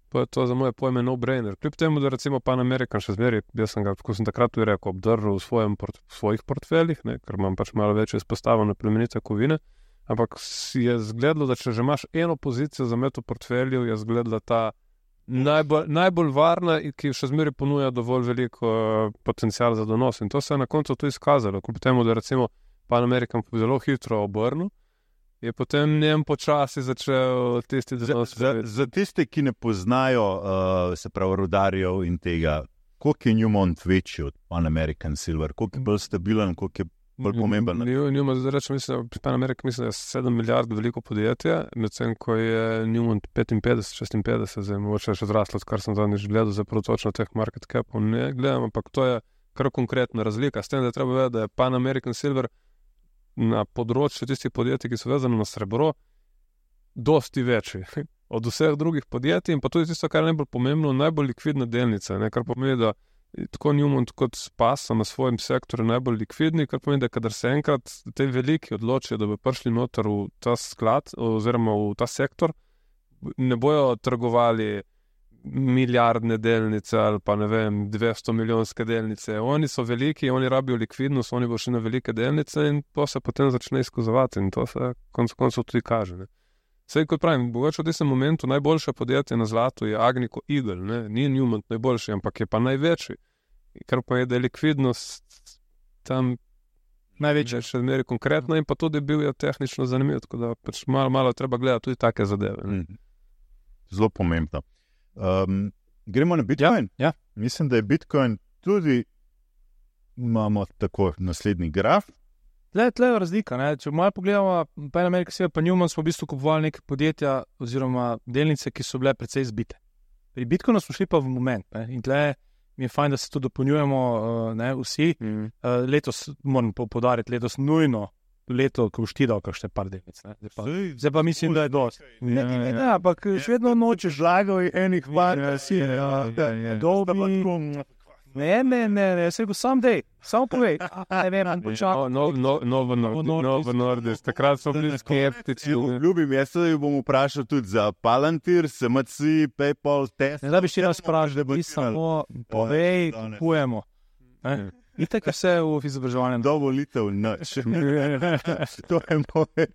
pa je to za moje pojme no-brainer. Kljub temu, da recimo Pan American še zmeri, jaz sem ga, ko sem takrat tudi rekel, obdržal v, svojem port, v svojih portfeljih, ne, ker imam pač malo večjo izpostavljeno plemenite kovine, ampak je zgledalo, da če že imaš eno pozicijo za met v portfelju, je zgledala ta najbolj, najbolj varna, ki še zmeri ponuja dovolj veliko uh, potencial za donos. In to se je na koncu tudi izkazalo, kljub temu, da recimo Pan American zelo hitro obrnil, je potem njem počasi začel tisti donos. Za, za, za tiste, ki ne poznajo, uh, se pravi, rudarjev in tega, koliko je Newmont večji od Pan American Silver, koliko je bolj stabilen, koliko je bolj pomemben? Newmont, zdaj rečem, mislim, Pan American mislim, da je sedem milijard veliko podjetje, medtem ko je Newmont petinpetdeset, šestinpetdeset, zdaj mogoče še zraslo, kar sem zadnjič gledal, zdaj prav točno teh market capov ne gledam, ampak to je kar konkretna razlika. S tem, da je treba vedeti, da je Pan American Silver na področju tistih podjetij, ki so vezane na srebro, dosti večji od vseh drugih podjetij in pa tudi tisto, kar je najbolj pomembno, najbolj likvidna delnica, ne? Kar pomeni, da tako Newmont kot Spas so na svojem sektorju najbolj likvidni, kar pomeni, da kadar se enkrat te veliki odločijo, da bi prišli noter v ta sklad oziroma v ta sektor, ne bojo trgovali milijardne delnice ali pa ne vem, dvesto milijonske delnice. Oni so veliki, oni rabijo likvidnost, oni bo šli na velike delnice in to se potem začne izkazovati in to se konec koncev tudi kaže. Ne. Sej, kot pravim, bogače v tistem momentu najboljše podjetje na zlatu je Agnico Eagle, ne. Ni Newmont najboljši, ampak je pa največji. Kar pa je, da je likvidnost tam največja še zmeri konkretno in pa tudi bil je tehnično zanimiv, tako da pač malo, malo treba gledati tudi take zadeve. Ne. Zelo pomembno. Um, gremo na Bitcoin. Ja, ja. Mislim, da je Bitcoin tudi, imamo tako naslednji graf. Tle, tle je razlika. Ne? Če malo pogledamo, Pan American Silver pa Newmont smo v bistvu kupovali neke podjetja oziroma delnice, ki so bile precej zbite. Pri Bitcoinu smo šli pa v moment. Ne? In tle mi je fajn, da se to dopolnjujemo uh, ne, vsi. Mm. Uh, letos, moram podariti, letos nujno leto, ko boš ti dal kakšne par delnic. Zdaj pa, zdaj pa mislim, da je dosti. Ne, ne, ne, ne, ampak še vedno nočeš žlagal enih var, da si je dobi. Ne, ne, ne, ne, se rekel, sam dej, samo povej. Ne vem, počakaj. No, no, no, no, v Nordis, takrat so bili skeptici. Ljubim, jaz se bom vprašal tudi za Palantir, S M C, PayPal, Tesla. Ne, da bi še raz vprašal, da bi samo povej, kupujemo. Itak je vse v izobraževanju. Dovolitev, nič. To je moje.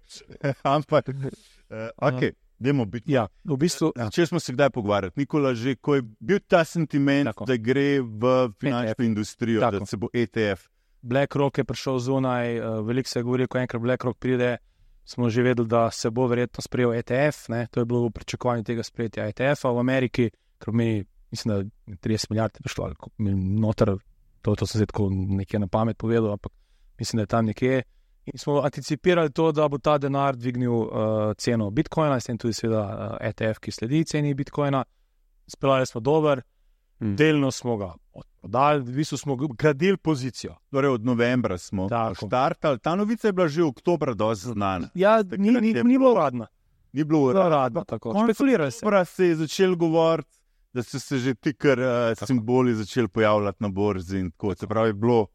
Ampak, uh, ok, Dajmo biti. Ja, v bistvu, Če smo se kdaj pogovarjali, Nikola, že ko je bil ta sentiment, Tako. da gre v finančno E T F. industrijo, Tako. da se bo E T F. BlackRock je prišel zunaj, uh, veliko se je govorilo, ko enkrat BlackRock pride, smo že vedeli, da se bo verjetno sprejel E T F, ne? To je bilo v pričakovanju tega sprejetja E T F-a v Ameriki, ker meni, mislim, da trideset milijard je prišlo, ali koliko mi- noter, to, to sem zdaj tako nekje na pamet povedal, ampak mislim, da je tam nekje. In smo anticipirali to, da bo ta denar dvignil uh, ceno Bitcoina, s tem tudi seveda uh, E T F, ki sledi ceni Bitcoina. Speljali smo dober, Mm. delno smo ga odprodali, v bistvu smo gradili pozicijo. Torej od novembra smo Tako. štartali. Ta novica je bila že oktobra dosti znana. Ja, Takrat ni, ni, je ni bilo uradno. Ni bilo Bilo uradno. uradno, tako. Konec Špekulirali se. oktobra se je začel govoriti, da so se že ti kar uh, simboli začeli pojavljati na borzi in tako. Se pravi, je bilo.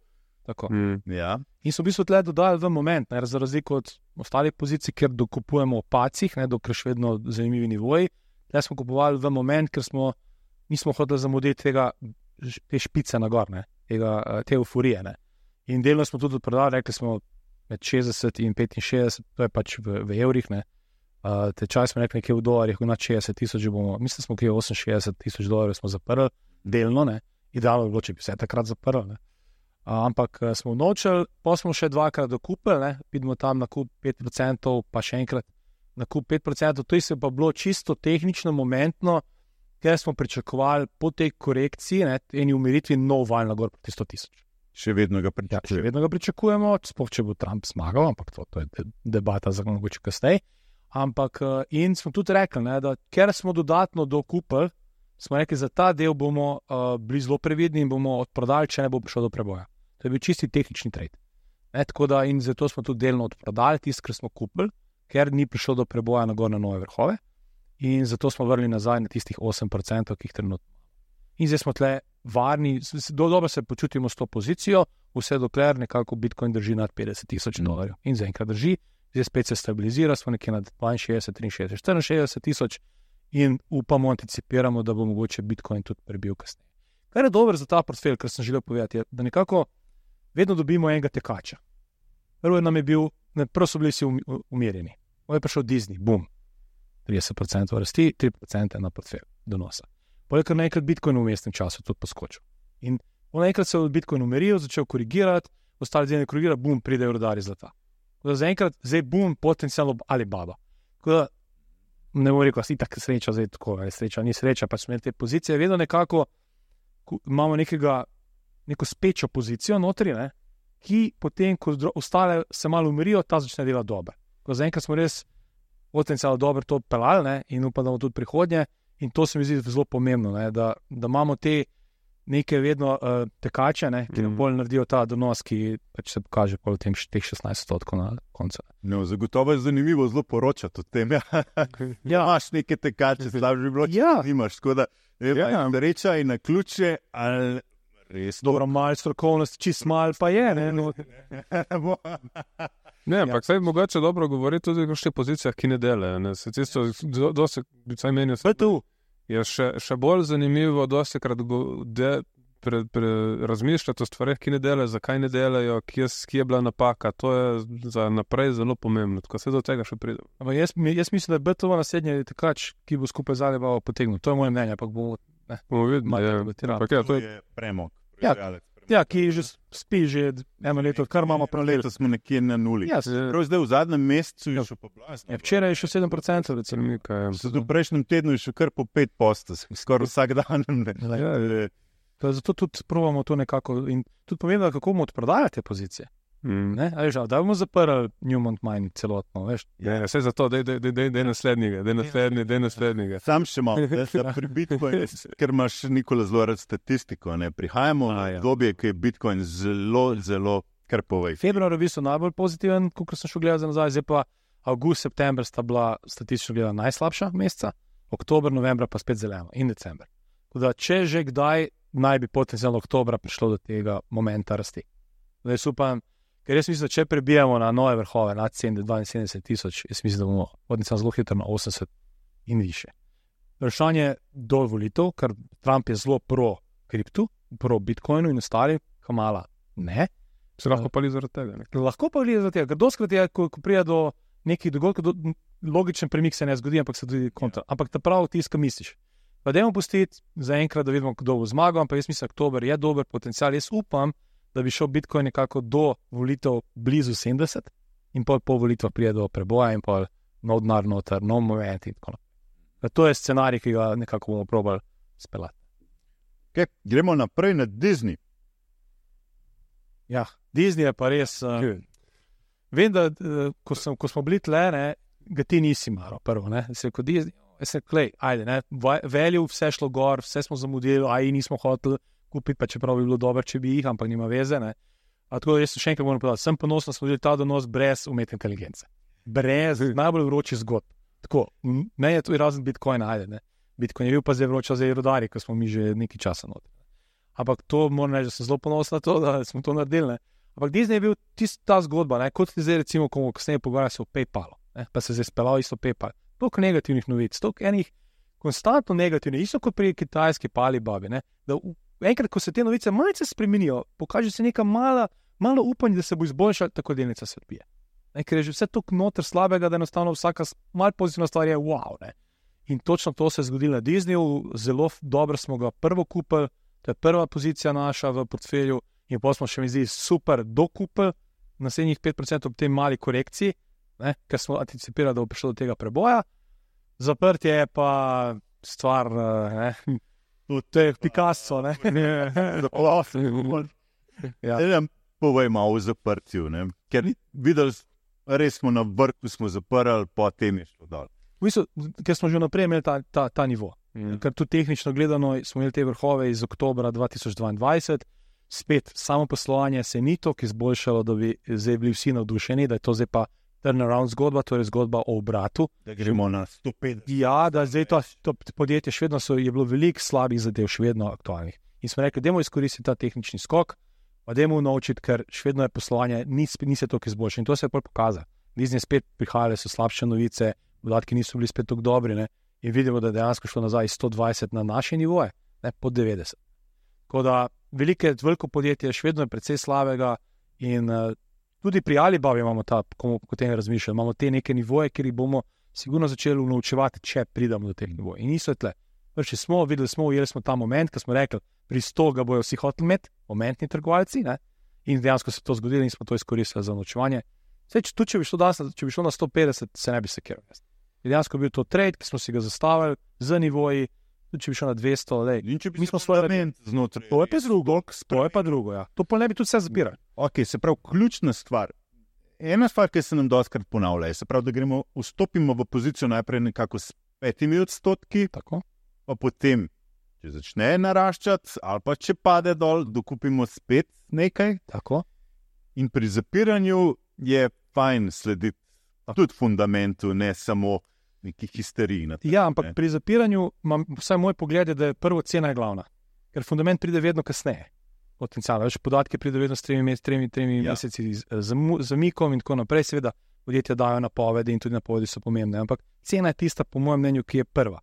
Tako. Mm. Ja. In so v bistvu tle dodali v moment, ne, za razliko od ostalih pozicij, kjer dokupujemo v pacih, ne, dokler še vedno zanimivi nivoji. Tle smo kupovali v moment, ker smo nismo hoteli zamuditi tega, ž- te špice na gor, ne, tega, eh, te euforije. Ne. In delno smo tudi odprodali, rekli smo med šestdeset in petinšestdeset, to je pač v, v evrih. Ne. Uh, tečaj smo rekli nekje v dolarjih, na šestdeset tisoč bomo, mislim, smo kje oseminšestdeset tisoč dolarjev smo zaprli, delno, ne. Idealno bi bilo, če bi vse takrat zaprli. Ne. Uh, ampak uh, smo nočeli, pa smo še dvakrat dokupili, ne. Vidimo tam nakup pet procentov, pa še enkrat nakup pet procentov, to je se pa bilo čisto tehnično, momentno, ker smo pričakovali po tej korekciji, ne, eni umiritvi nov val na gor proti sto tisoč. Še vedno ga Ja, še pričakujem. vedno ga pričakujemo, sploh če bo Trump zmagal, ampak to, to je de- debata za mogoče kasneje. Ampak uh, in smo tudi rekli, ne, da ker smo dodatno dokupili, smo rekli, za ta del bomo uh, bili zelo previdni in bomo odprodali, če ne bo prišlo do preboja. To je bil čisti tehnični trade. Ne, tako da in zato smo tudi delno odprodali tisto, kar smo kupili, ker ni prišlo do preboja na gor na nove vrhove. In zato smo vrnili nazaj na tistih osem procentov, ki jih trenutno imamo. In zdaj smo tle varni, s- s- do- dobro se počutimo s to pozicijo, vse dokler nekako Bitcoin drži nad petdeset tisoč dolarjev. In zaenkrat drži, zdaj spet se stabilizira, smo nekje nad dvainšestdeset, triinšestdeset, štiriinšestdeset tisoč in upamo, anticipiramo, da bo mogoče Bitcoin tudi prebil kasneje. Kar je dobro za ta portfelj, kar sem želel povedati, je, da nekako vedno dobimo enega tekača. Prvo nam je bil, ne, prvo so bili vsi umi- umirjeni. On je prišel Disney, bum, trideset procentov rasti, tri procente na portfelj donosa. Poleg tega naenkrat Bitcoin v mestnem času tudi poskočil. In on naenkrat se je Bitcoin umiril, začel korigirati, ostali zdaj ne korigira, bum, pridejo rodari zlata. Tako da zaenkrat, zdaj bum, potencialno Alibaba. Tako da ne bom rekel, da si tako sreča, zdaj tako, ali sreča, ni sreča, pač smo imeli te pozicije, vedno nekako ku- imamo nekega, neko spečo pozicijo notri, ne, ki potem, ko dro- ostale se malo umirijo, ta začne delati dobro. Tako da zaenkrat smo res potencialno dobro to pelali, ne, in upam, da bomo tudi prihodnje. In to se mi zdi zelo pomembno, ne, da, da imamo te neke vedno uh, tekače, ne, ki nam Mhm. bolj naredijo ta donos, ki pač se pokaže pol v tem š- teh šestnajst odstotkov na koncu. No, zagotovo je zanimivo zelo poročati o tem. Ja. Ja. Imaš neke tekače, slabo bi bilo, če Ja. nimaš. Tako da, ne vem, Ja. ali sreča in na ključe, ali res Dobro, malo strokovnosti, čist malo pa je. Ne, no, bo. Ne, ampak ja. Mogoče dobro govori tudi o še pozicijah, ki ne delajo. Ne. Se tisto, do, dosti, vsaj meni B T U. je še, še bolj zanimivo, dosti krat go, de, pre, pre, razmišljati o stvareh, ki ne delajo, zakaj ne delajo, kje, s- kje je bila napaka. To je za naprej zelo pomembno, tako se do tega še pride. Ampak jaz, mi- jaz mislim, da je B T U naslednji tekač, ki bo skupaj z Alibaba potegnil. To je moje mnenje, ampak bo, Bomo videli. Malo Ja. debatirali. Ampak ja, to je je premog. Ja. proizvajalec premoga. ja, ki že spi že eno leto, kar imamo paralel. Letos smo nekje na nuli. Ja, Prav zdaj v zadnjem mesecu je še poblazno. ja, včeraj je še sedem procentov, recimo. premika. Ja. V prejšnjem tednu je še kar po pet posto, skoraj vsak dan. Ne. Ja, ja. To je Zato tudi probamo to nekako in tudi pomembno, kako bomo odprodajali te pozicije. Mm. Ne? A veš, a da bomo zaprli Newmont Mine celotno, veš. Ja, vse za to, da je naslednjega, da je naslednji, da je naslednjega. Sam še malo, da se pri Bitcoinu, ker imaš Nikola zelo rad statistiko. Ne? Prihajamo A, v ja. obdobje, ki je Bitcoin zelo, zelo kar povej. Februar je bil najbolj pozitiven, kot sem šel gledati za nazaj, zdaj pa avgust, september sta bila statistično gledana najslabša meseca, oktober, novembra pa spet zeleno in december. Tako da, če že kdaj naj bi potencialno oktobra prišlo do tega momenta rasti. Da jaz upam, ker jaz mislim, da če prebijamo na nove vrhove, nad dvainsedemdeset tisoč, jaz mislim, da bomo potencialno zelo hitro na osemdeset in više. Vprašanje do volitev, ker Trump je zelo pro kriptu, pro Bitcoinu in ostali, Kamala ne. Se lahko pali zaradi tega. Ne? Lahko pa gleda za tega, ker doskrat je, ko, ko prija do nekih dogodkov, do, logičen premik se ne zgodi, ampak se tudi kontra. Ampak ta prav tisto, kar misliš. Pa dajmo pustiti za enkrat, da vidimo, kdo bo zmagal, ampak jaz mislim, da oktober je dober potencial. Jaz upam, da bi šel Bitcoin nekako do volitev blizu sedemdeset in pol po volitvah prije do preboja in pol nov denar noter, nov moment in tako naprej. To je scenarij, ki ga nekako bomo probali speljati. Okay, gremo naprej na Disney. Ja, Disney je pa res... Uh, vem, da uh, ko, sem, ko smo bili tle, ne, ga ti nisi maro prvo, ne. Se kot Disney, se klej, ajde, ne, value, vse šlo gor, vse smo zamudili, aj nismo hoteli kupiti, pa čeprav bi bilo dobro, če bi jih, ampak nima veze, ne. A tako da jaz še enkrat moram povedati, sem ponosen, da smo videli ta donos brez umetne inteligence. Brez najbolj vroči zgodb. Tako, meni je to razen Bitcoina, ajde, ne. Bitcoin je bil pa zdaj vroča zdaj rodari, ko smo mi že nekaj časa noter. Ampak to moram reči, da sem zelo ponosen na to, da smo to naredili, ne. Ampak Disney je bil tista ta zgodba, ne, kot zdaj recimo, ko bomo kasneje pogovarjali se o PayPalu, ne, pa se zdaj speljal isto PayPal. Toliko negativnih novic, toliko enih konstantno negativnih, isto kot pri kitajski Alibabi, ne, da enkrat, ko se te novice malce spremenijo, pokaže se neka mala, malo upanje, da se bo izboljšala, tako delnica se odbije. Ne, ker je že vse toliko noter slabega, da enostavno vsaka malo pozitivna stvar je wow, ne. In točno to se je zgodilo na Disneyju, zelo dobro smo ga prvo kupili, to je prva pozicija naša v portfelju in potem smo še mi zdi super dokupili naslednjih pet procentov ob tej mali korekciji, ne, ker smo anticipirali, da bo prišlo do tega preboja. Zaprtje je pa stvar, ne, to je Picasso, ne. Ja. Ja, povej malo o zaprtju, ne, ker videli, res smo na vrhu, smo zaprli, potem je šlo dol. V bistvu, ker smo že naprej imeli ta, ta, ta nivo. Mm. Ker tudi tehnično gledano smo imeli te vrhove iz oktobra dva tisoč dvaindvajset, spet samo poslovanje se ni toliko izboljšalo, da bi zdaj bili vsi navdušeni, da je to zdaj pa turnaround zgodba, to je zgodba o obratu. Da gremo na sto petdeset. Ja, da zdaj to, to podjetje še vedno so, je bilo veliko slabih zadev, še vedno aktualnih. In smo rekli, dajmo izkoristiti ta tehnični skok, pa dajmo naučiti, ker še vedno je poslovanje, ni, ni se toliko izboljšalo. In to se je pol pokazalo. Disney spet prihajale so slabše novice, podatki niso bili spet tako dobri, ne? In vidimo, da je dejansko šlo nazaj iz sto dvajset na naše nivoje, ne, pod devetdeset. Tako da velike, veliko podjetje še vedno je precej slabega in uh, tudi pri Alibabi imamo ta, ko o tem razmišljamo, imamo te neke nivoje, kjer jih bomo sigurno začeli naučevati, če pridemo do teh nivojev. In niso tle. Prvi smo, videli smo, ujeli smo ta moment, ko smo rekli, pri sto ga bojo vsi hoteli imeti, momentni trgovalci, ne? In dejansko se to zgodilo in smo to izkoristili za naučevanje. Sej, če, tudi če bi šlo danes, če bi šlo na sto petdeset, se ne bi sekiral. Dejansko bil to trade, ki smo si ga zastavili z nivoji, tudi če bi šlo na dvesto, lej. In če bi mi smo svoj znotraj. To je pa drugo, to je pa drugo, ja. To pa ne bi tudi vse zapirali. Ok, se pravi, ključna stvar. Ena stvar, ki se nam dostakrat ponavlja, se pravi, da gremo, vstopimo v pozicijo najprej nekako s petimi odstotki, tako, pa potem, če začne naraščati, ali pa če pade dol, dokupimo spet nekaj. Tako. In pri zapiranju je fajn slediti tudi fundamentu, ne samo neki histeriji. Ja, ampak ne. Pri zapiranju, imam, vsaj moj pogled je, da je prvo cena je glavna. Ker fundament pride vedno kasneje. Potencialno, več podatke pride vedno s tremi, tremi, tremi ja. meseci zamikom in tako naprej. Seveda, podjetja dajo napovedi in tudi napovedi so pomembne. Ampak cena je tista, po mojem mnenju, ki je prva.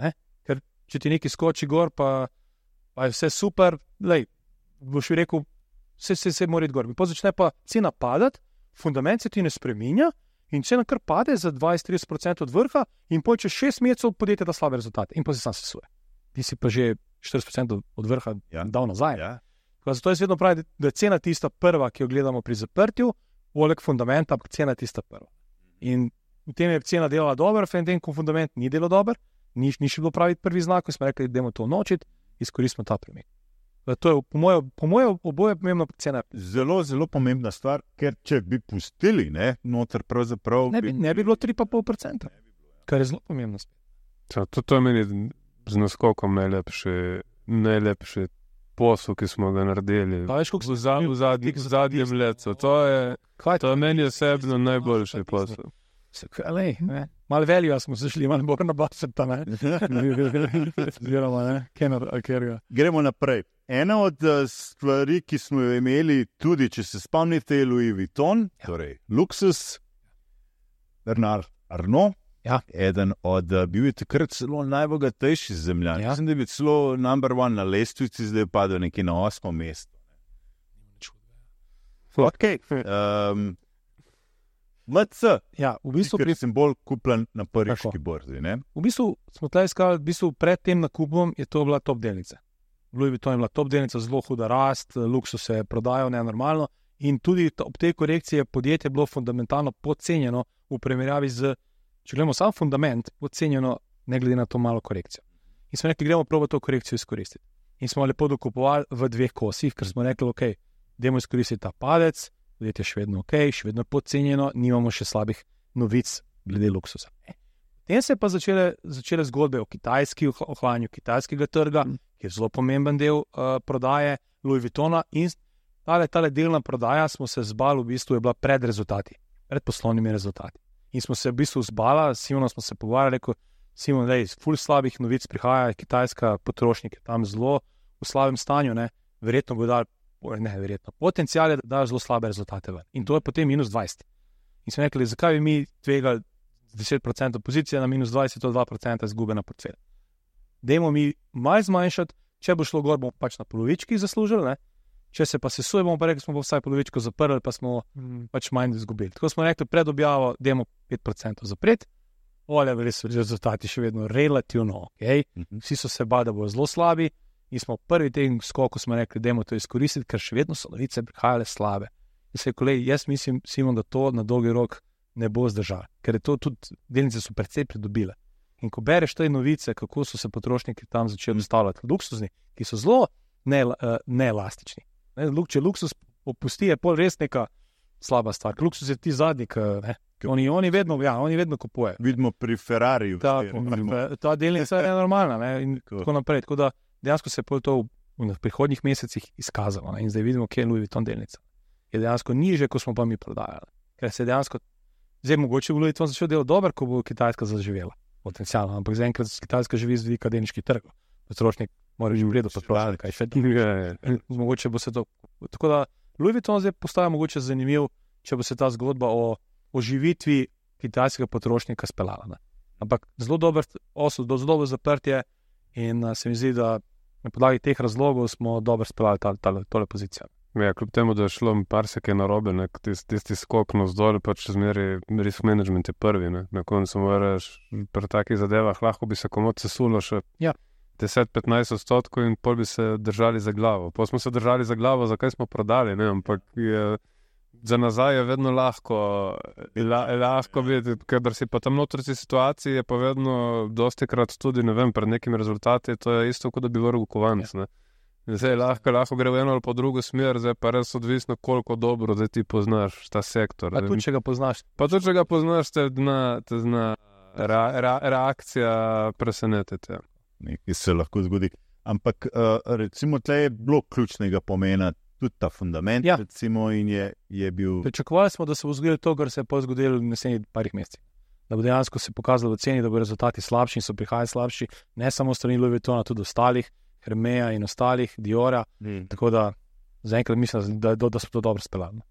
Ne? Ker če ti nekaj skoči gor, pa, pa je vse super, lej, boš rekel, vse, vse, vse mora iti gor. Pa začne pa cena padati, fundament se ti ne spreminja in cena kar pade za dvajset do trideset procentov od vrha in pol čez šest mesecev podjetje da slabe rezultate in pa se sam sesuje. Ti si pa že štirideset procentov od vrha ja. dal nazaj. Ja. Zato jaz vedno pravim, da je cena tista prva, ki jo gledamo pri zaprtju, poleg fundamenta, ampak cena je tista prva. In v tem je cena delala dobro, v tem, ko fundament ni delal dobro, ni, ni še bilo pravi prvi znak, ko smo rekli, da idemo to nočiti, izkoristimo ta premik. To je po mojem moje oboje pomembno cena. Zelo, zelo pomembna stvar, ker če bi pustili, ne, noter pravzaprav... Ne bi, ne bi bilo tri pa pol procenta, kar je zelo pomembno. To, to je meni z naskokom najlepše, najlepše posel, ki smo ga naredili pa, veš, v, za, v, zadnji, v zadnjem letu. To je, to je meni osebno najboljši posel. Malo veljo smo zašli, malo bolj na baseta, ne? Zviroma, ne? Kenar, akerga. Gremo naprej. Ena od stvari, ki smo jo imeli, tudi če se spomnite, Louis Vuitton, ja. Torej luksus, Bernard Arnault, ja. Eden od, bil je takrat celo najbogatejši zemljan. Ja. Mislim, da je bil celo number one na lestvici, zdaj je padel nekje na osmo mesto. Ok. Um, M C, Ja, v bistvu, ker pri, sem bolj kupljen na pariški Tako. borzi. Ne? v bistvu smo tle iskali, v bistvu pred tem nakupom je to bila top delnica. Louis Vuitton je bila top delnica, zelo huda rast, luksus se je prodajal nenormalno in tudi to, ob tej korekciji je podjetje bilo fundamentalno podcenjeno v primerjavi z, če gledamo sam fundament, podcenjeno ne glede na to malo korekcijo. In smo rekli, gremo probo to korekcijo izkoristiti. In smo lepo dokupovali v dveh kosih, ker smo rekli, ok, dajmo izkoristiti ta padec, podjetje je še vedno ok, še vedno podcenjeno, nimamo še slabih novic glede luksusa. Potem se je pa začele, začele zgodbe o kitajski, o ohlajanju kitajskega trga, ki je zelo pomemben del uh, prodaje Louis Vuittona in tale, tale delna prodaja smo se zbali, v bistvu je bila pred rezultati, pred poslovnimi rezultati. In smo se v bistvu zbala, s Simonom smo se pogovarjali, rekel, Simon, dej, ful slabih novic prihaja, kitajska potrošnik je tam zelo v slabem stanju, ne, verjetno bo dal, ne, verjetno, potencial je, da dajo zelo slabe rezultate ven. In to je potem minus dvajset. In smo rekli, zakaj bi mi tvegali deset procentov pozicije na minus dvajset, to dva procenta izgube na portfelj. Dajmo mi malo zmanjšati, če bo šlo gor, bomo pač na polovički zaslužili, ne? Če se pa sesuje, bomo pa rekli, smo pa vsaj polovičko zaprli, pa smo mm. pač manj izgubili. Tako smo rekli, pred objavo dajmo pet procentov zapret, olje, res so rezultati še vedno relativno ok, mm-hmm. Vsi so se bali, da bodo zelo slabi in smo prvi tem skoku smo rekli, dajmo to izkoristiti, ker še vedno so novice prihajale slabe. In se je kolej, jaz mislim, Simon, da to na dolgi rok ne bo zdržal, ker je to tudi, delnice so precej pridobile. In ko bereš te novice, kako so se potrošniki tam začeli ustavljati, luksuzni, ki so zelo neelastični. Ne, ne, če luksus opusti, je pol res neka slaba stvar. Luksus je ti zadnji, ne. Oni, oni, vedno, ja, oni vedno kupujejo. Vidimo pri Ferrariju. Ta, ta delnica je normalna, ne, in tako. tako naprej. Tako da dejansko se je to v, v prihodnjih mesecih izkazalo, ne, in zdaj vidimo, kje je Louis Vuitton delnica. Je dejansko niže, ko smo pa mi prodajali. Ker se dejansko, zdaj mogoče bo Louis Vuitton začel delati dober, ko bo Kitajska zaživela. Potencialno, ampak zaenkrat Kitajska živi z vidika delniških trgov. Potrošnik mora že v redu potrošiti, kaj še druge. Mogoče bo se to. Tako da Louis Vuitton zdaj postaja mogoče zanimiv, če bo se ta zgodba o oživitvi kitajskega potrošnika speljala. Ne? Ampak zelo dober osud, zelo dobro zaprtje in uh, se mi zdi, da na podlagi teh razlogov smo dobro speljali ta, ta, tole pozicijo. Ja, kljub temu, da je šlo par sekaj narobe, tisti tist skok navzdol, pač zmeri risk management je prvi. Ne? Na koncu moraš pri takih zadevah, lahko bi se komod sesulo še ja. deset do petnajst odstotkov in pol bi se držali za glavo. Pol smo se držali za glavo, zakaj smo prodali, ne? Ampak je, za nazaj je vedno lahko, la, lahko biti, ker si pa tam notrci situaciji, je pa vedno dosti krat tudi, ne vem, pred nekimi rezultati, to je isto, kot da bi vrgel kovanec, ne. Zdaj lahko, lahko gre v eno ali po drugo smer, zdaj pa res odvisno, koliko dobro, da ti poznaš ta sektor. Pa tudi, če ga poznaš. Pa tudi, če ga poznaš, te zna, te zna ra, ra, reakcija presenetiti. Nekaj se lahko zgodi. Ampak uh, recimo, tle je bilo ključnega pomena tudi ta fundament, ja. recimo, in je, je bil... Pričakovali smo, da se bo zgodilo to, kar se je pa zgodilo v naslednjih parih mesecih. Da bo dejansko se pokazalo v ceni, da bo rezultati slabši in so prihajali slabši, ne samo strani Louis Vuittona, tudi ostalih, Hermeja in ostalih, Diora, mm. tako da zaenkrat mislim, da, da, da smo to dobro speljali.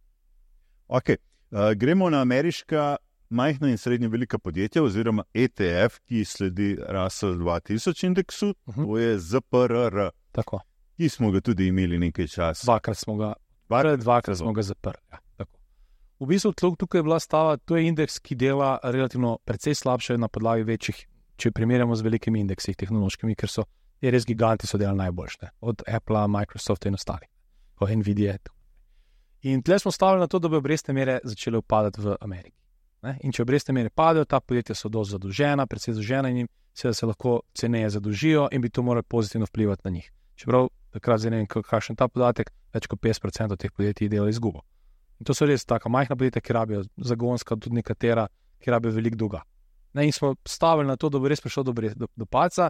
Ok, uh, gremo na ameriška majhna in srednje velika podjetja oziroma E T F, ki sledi Russell dva tisoč indeksu, uh -huh. to je Z P R R. Tako. Ki smo ga tudi imeli nekaj časa. Dvakrat smo ga, dvakrat, dvakrat smo ga zaprli. Ja, tako. V bistvu tukaj je bila stava, to je indeks, ki dela relativno precej slabše na podlagi večjih, če primerjamo z velikimi indeksi tehnološkimi, ker so je res giganti so delali najboljše, od Apple, Microsofta in ostalih, od Nvidia. In tle smo stavili na to, da bi obrestne mere začele upadati v Ameriki. Ne? In če obrestne mere padajo, ta podjetja so dosti zadolžena, predvsej zadolžena in jim seveda se lahko ceneje zadolžijo in bi to moralo pozitivno vplivati na njih. Čeprav takrat zdaj ne vem, kakšen ta podatek, več kot petdeset procentov teh podjetij dela izgubo. In to so res taka majhna podjetja, ki rabijo zagonska, tudi nekatera, ki rabijo veliko dolga. Ne? In smo stavili na to, da bo res prišlo do, do, do palca.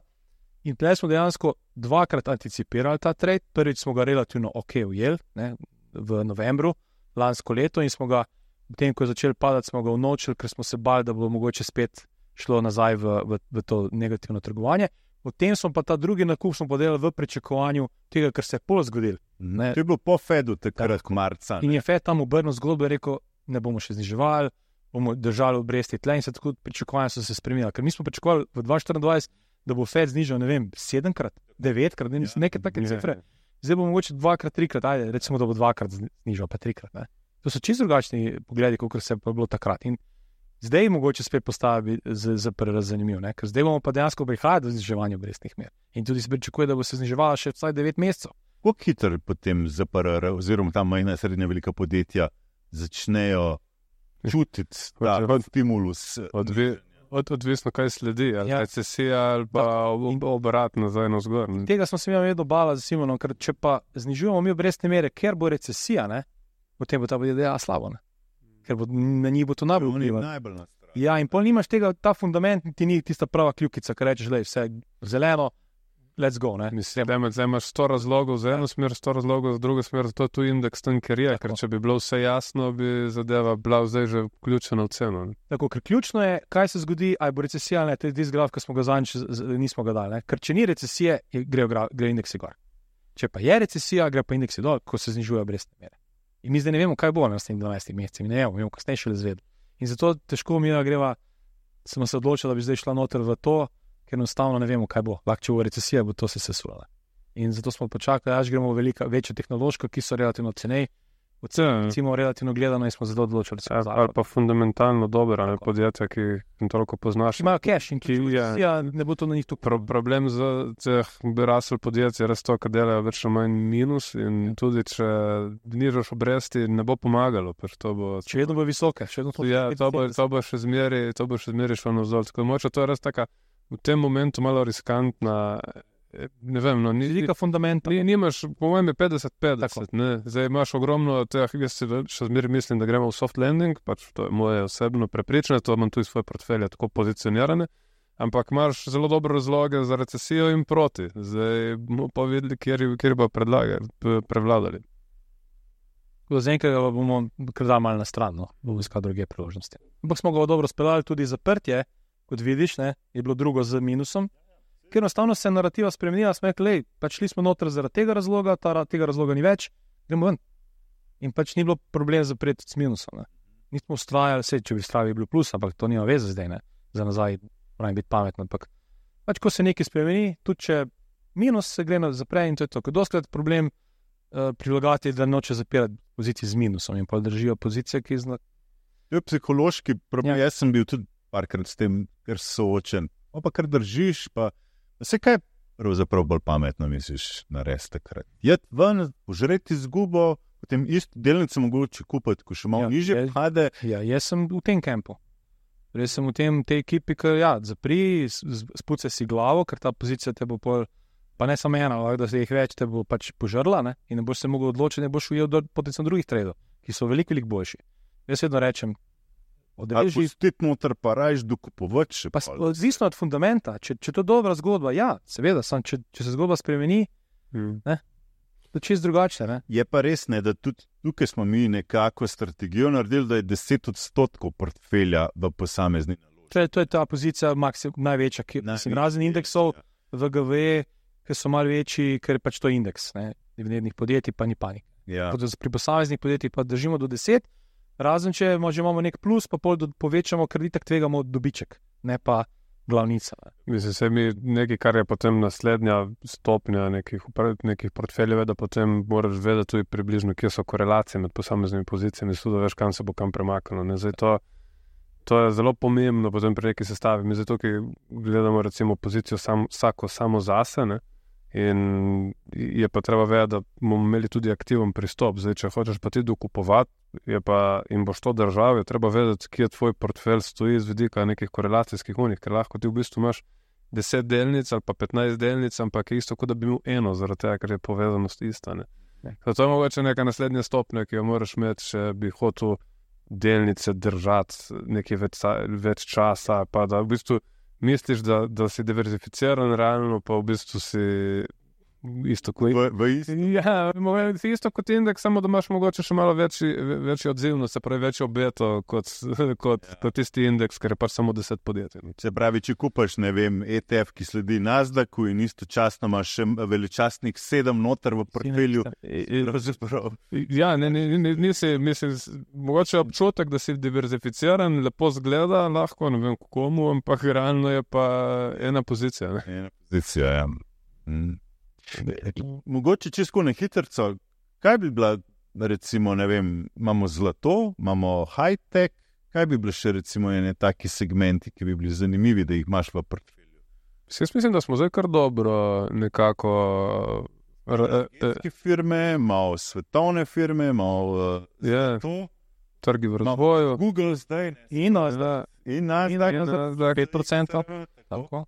In tle smo dejansko dvakrat anticipirali ta trade. Prvič smo ga relativno ok ujeli, ne, v novembru lansko leto in smo ga, potem ko je začel padati, smo ga unovčili, ker smo se bali, da bo mogoče spet šlo nazaj v, v, v to negativno trgovanje. Potem smo pa ta drugi nakup smo podelali v pričakovanju tega, kar se je pol zgodil. Ne. To je bilo po Fedu takrat marca. In je Fed tam obrnil zgodbo in rekel, ne bomo še zniževali, bomo držali obresti tle in se tako pričakovanja so se spremenila. Ker mi smo pričakovali v dva tisoč štiriindvajset, da bo Fed znižal, ne vem, sedemkrat, devetkrat, ne, ja. nekaj take cifre. Zdaj bo mogoče dvakrat, trikrat, ajde, recimo, da bo dvakrat znižal, pa trikrat, ne. To so čisto drugačni pogledi, kot se je bilo takrat. In zdaj mogoče spet postavi za prerazanimiv, ker zdaj bomo pa dejansko prihajali do zniževanja obrestnih mer. In tudi se pričakuje, da bo se zniževala še vsaj devet mesecev. Kako hitro potem Z P R R oziroma ta majhna srednja velika podjetja začnejo čutiti ta stimulus? Odvi, od, odvisno, kaj sledi, ali ja. recesija ali pa obrat nazaj na zgor. Tega smo se mi vedno bala za Simonom, ker če pa znižujemo mi obrestne mere, ker bo recesija, ne, potem bo ta podjetja slabo, ne. Ker bo, na njih bo to najbolj vplivalo. Ja, in pol nimaš tega, ta fundament ti ni tista prava kljukica, ker rečeš, lej, vse zeleno, let's go, ne. Mislim, da zdaj imaš sto razlogov za eno smer, sto razlogov za drugo smer, to je tu indeks tam, ker je, ker če bi bilo vse jasno, bi zadeva bila zdaj že vključena v ceno. Ne. Tako, ker ključno je, kaj se zgodi, aj bo recesija, ne, to je tisti graf, ki smo ga zadnjič, nismo ga dali, ne. Ker če ni recesije, gre, gre indeksi gor. Če pa je recesija, gre pa indeksi dol, ko se znižuje obrestne mere. In mi zdaj ne vemo, kaj bo na naslednjih dvanajstih mesecih, mi ne vemo, mi bomo kasneje šele izvedeli. In zato težko mi greva, smo se odločili, da bi zdaj šla noter v to, ker enostavno ne vemo, kaj bo. Lahko, če bo recesija, bo to se sesulala. In zato smo počakali, až gremo v velika, večjo tehnološko, ki so relativno cenej, recimo relativno gledano in smo zelo odločili. Ja, ali pa fundamentalno dobro, ali podjetja, ki jim toliko poznaš. Imajo cash in ki ja, ne bo to na njih tu. Pro, problem za teh bi rasel podjetje, res to, kad delajo več ali manj minus in ja. Tudi, če nižaš obresti, ne bo pomagalo. To bo, še vedno bo visoke. Še vedno to, ja, to, bo, to bo še zmeri, to bo še zmeri šlo navzdol. Tako moče, to je res taka v tem momentu malo riskantna. Ne vem, no, ni, Zlika fundamenta. Ni, nimaš, po mojem je petdeset petdeset, ne. Zdaj imaš ogromno teh, jaz si še zmeri mislim, da gremo v soft landing, pač to je moje osebno prepričanje, to imam tudi svoje portfelje tako pozicionirane, ampak imaš zelo dobre razloge za recesijo in proti. Zdaj bomo pa videli, kjer, kjer bo predlagali, prevladali. Za enkrat bomo krdali malo na stran, no, bomo iskali druge priložnosti. Ampak smo ga dobro speljali tudi zaprtje, kot vidiš, ne, je bilo drugo z minusom. Ker enostavno se je narativa spremenila, smo rekli, lej, pač šli smo noter zaradi tega razloga, ta, tega razloga ni več, gremo ven. In pač ni bilo problem zapreti s minusom. Ne. Nismo ustrajali, vse, če bi ustrajali, bi bilo plus, ampak to nima veze zdaj, ne, za nazaj, moram biti pametno. Ampak pač, ko se nekaj spremeni, tudi če minus se gre zapre in to je to. Ker doskrat problem uh, prilagati, da noče zapirati pozicij z minusom in pa držijo pozicije, ki zna. To je psihološki problem, Ja. jaz sem bil tudi parkrat s tem, ker soočen. O pa kar držiš, pa vse kaj pravzaprav bolj pametno misliš narediti takrat. Jed ven, požreti izgubo, potem isto delnice mogoče kupiti, ko še malo Ja, nižje je- pade. Ja, jaz sem v tem kampu. Res sem v tem, tej ekipi, ki ja, zapri, spuce si glavo, ker ta pozicija te bo pol, pa ne samo ena, ampak da se jih več, te bo pač požrla, ne? In ne boš se mogel odločiti, ne boš ujel do potencialno drugih tradov, ki so veliko, veliko boljši. Jaz vedno rečem, Ali odreži, pustiti noter, pa rajš dokupovati še pa pol. odvisno od fundamenta, če, če to je dobra zgodba, ja, seveda, sam, če, če se zgodba spremeni, Hmm. to je čist drugače, ne? Je pa res, ne, da tudi tukaj smo mi nekako strategijo naredili, da je deset odstotkov portfelja v posamezni naložbi. To je, to je ta pozicija maksim, največja, ki Največji sem razen indeksov, ja. V G V E, ki so malo večji, ker je pač to indeks, ne, dividendnih podjetij, pa ni panik. Ja. Pri posameznih podjetjih pa držimo do deset, razen če imamo, že imamo nek plus, pa pol do, povečamo, ker itak tvegamo dobiček, ne pa glavnica. Ne. Mislim, se mi nekaj, kar je potem naslednja stopnja nekih, upra- nekih portfeljev, da potem moraš vedeti tudi približno, kje so korelacije med posameznimi pozicijami, tudi da veš, kam se bo kam premaknilo. Ne. Zdaj to, to je zelo pomembno potem pri neki sestavi. Mi zato, ki gledamo recimo pozicijo sam, vsako samo zase, ne. In je pa treba vedeti, da bomo imeli tudi aktiven pristop. Zdaj, če hočeš pa ti dokupovati je pa, in boš to držal, je treba vedeti, kje tvoj portfelj stoji z vidika nekih korelacijskih unih, ker lahko ti v bistvu imaš deset delnic ali pa petnajst delnic, ampak je isto, kot da bi imel eno, zaradi tega, ker je povezanost ista. Ne. Zato je mogoče neka naslednja stopnja, ki jo moraš imeti, če bi hotel delnice držati nekaj več, več časa, pa da v bistvu misliš, da, da si diverzificiran realno, pa v bistvu si isto kot V, v isti. ja, si isto kot indeks, samo da imaš mogoče še malo večji, večji odzivnost, se pravi večjo beto kot, kot, Ja. kot tisti indeks, ker je pač samo deset podjetij. Se pravi, če kupaš, ne vem, E T F, ki sledi Nasdaqu in istočasno imaš še veličastnih sedem noter v portfelju. Pravzaprav. Ja, ne, ne, ne, nisi, mislim, mogoče občutek, da si diverzificiran, lepo zgleda, lahko, ne vem komu, ampak realno je pa ena pozicija. Ne? Ena pozicija, ja. Mm. Mogoče čisto na hitrco, kaj bi bila recimo, ne vem, imamo zlato, imamo high-tech, kaj bi bili še recimo ene taki segmenti, ki bi bili zanimivi, da jih imaš v portfelju? Jaz mislim, da smo zdaj kar dobro nekako... Energetske firme, malo svetovne firme, malo yeah. to. Trgi v razvoju. Google zdaj. In Nasdaq. In Nasdaq. pet procentov. Tako.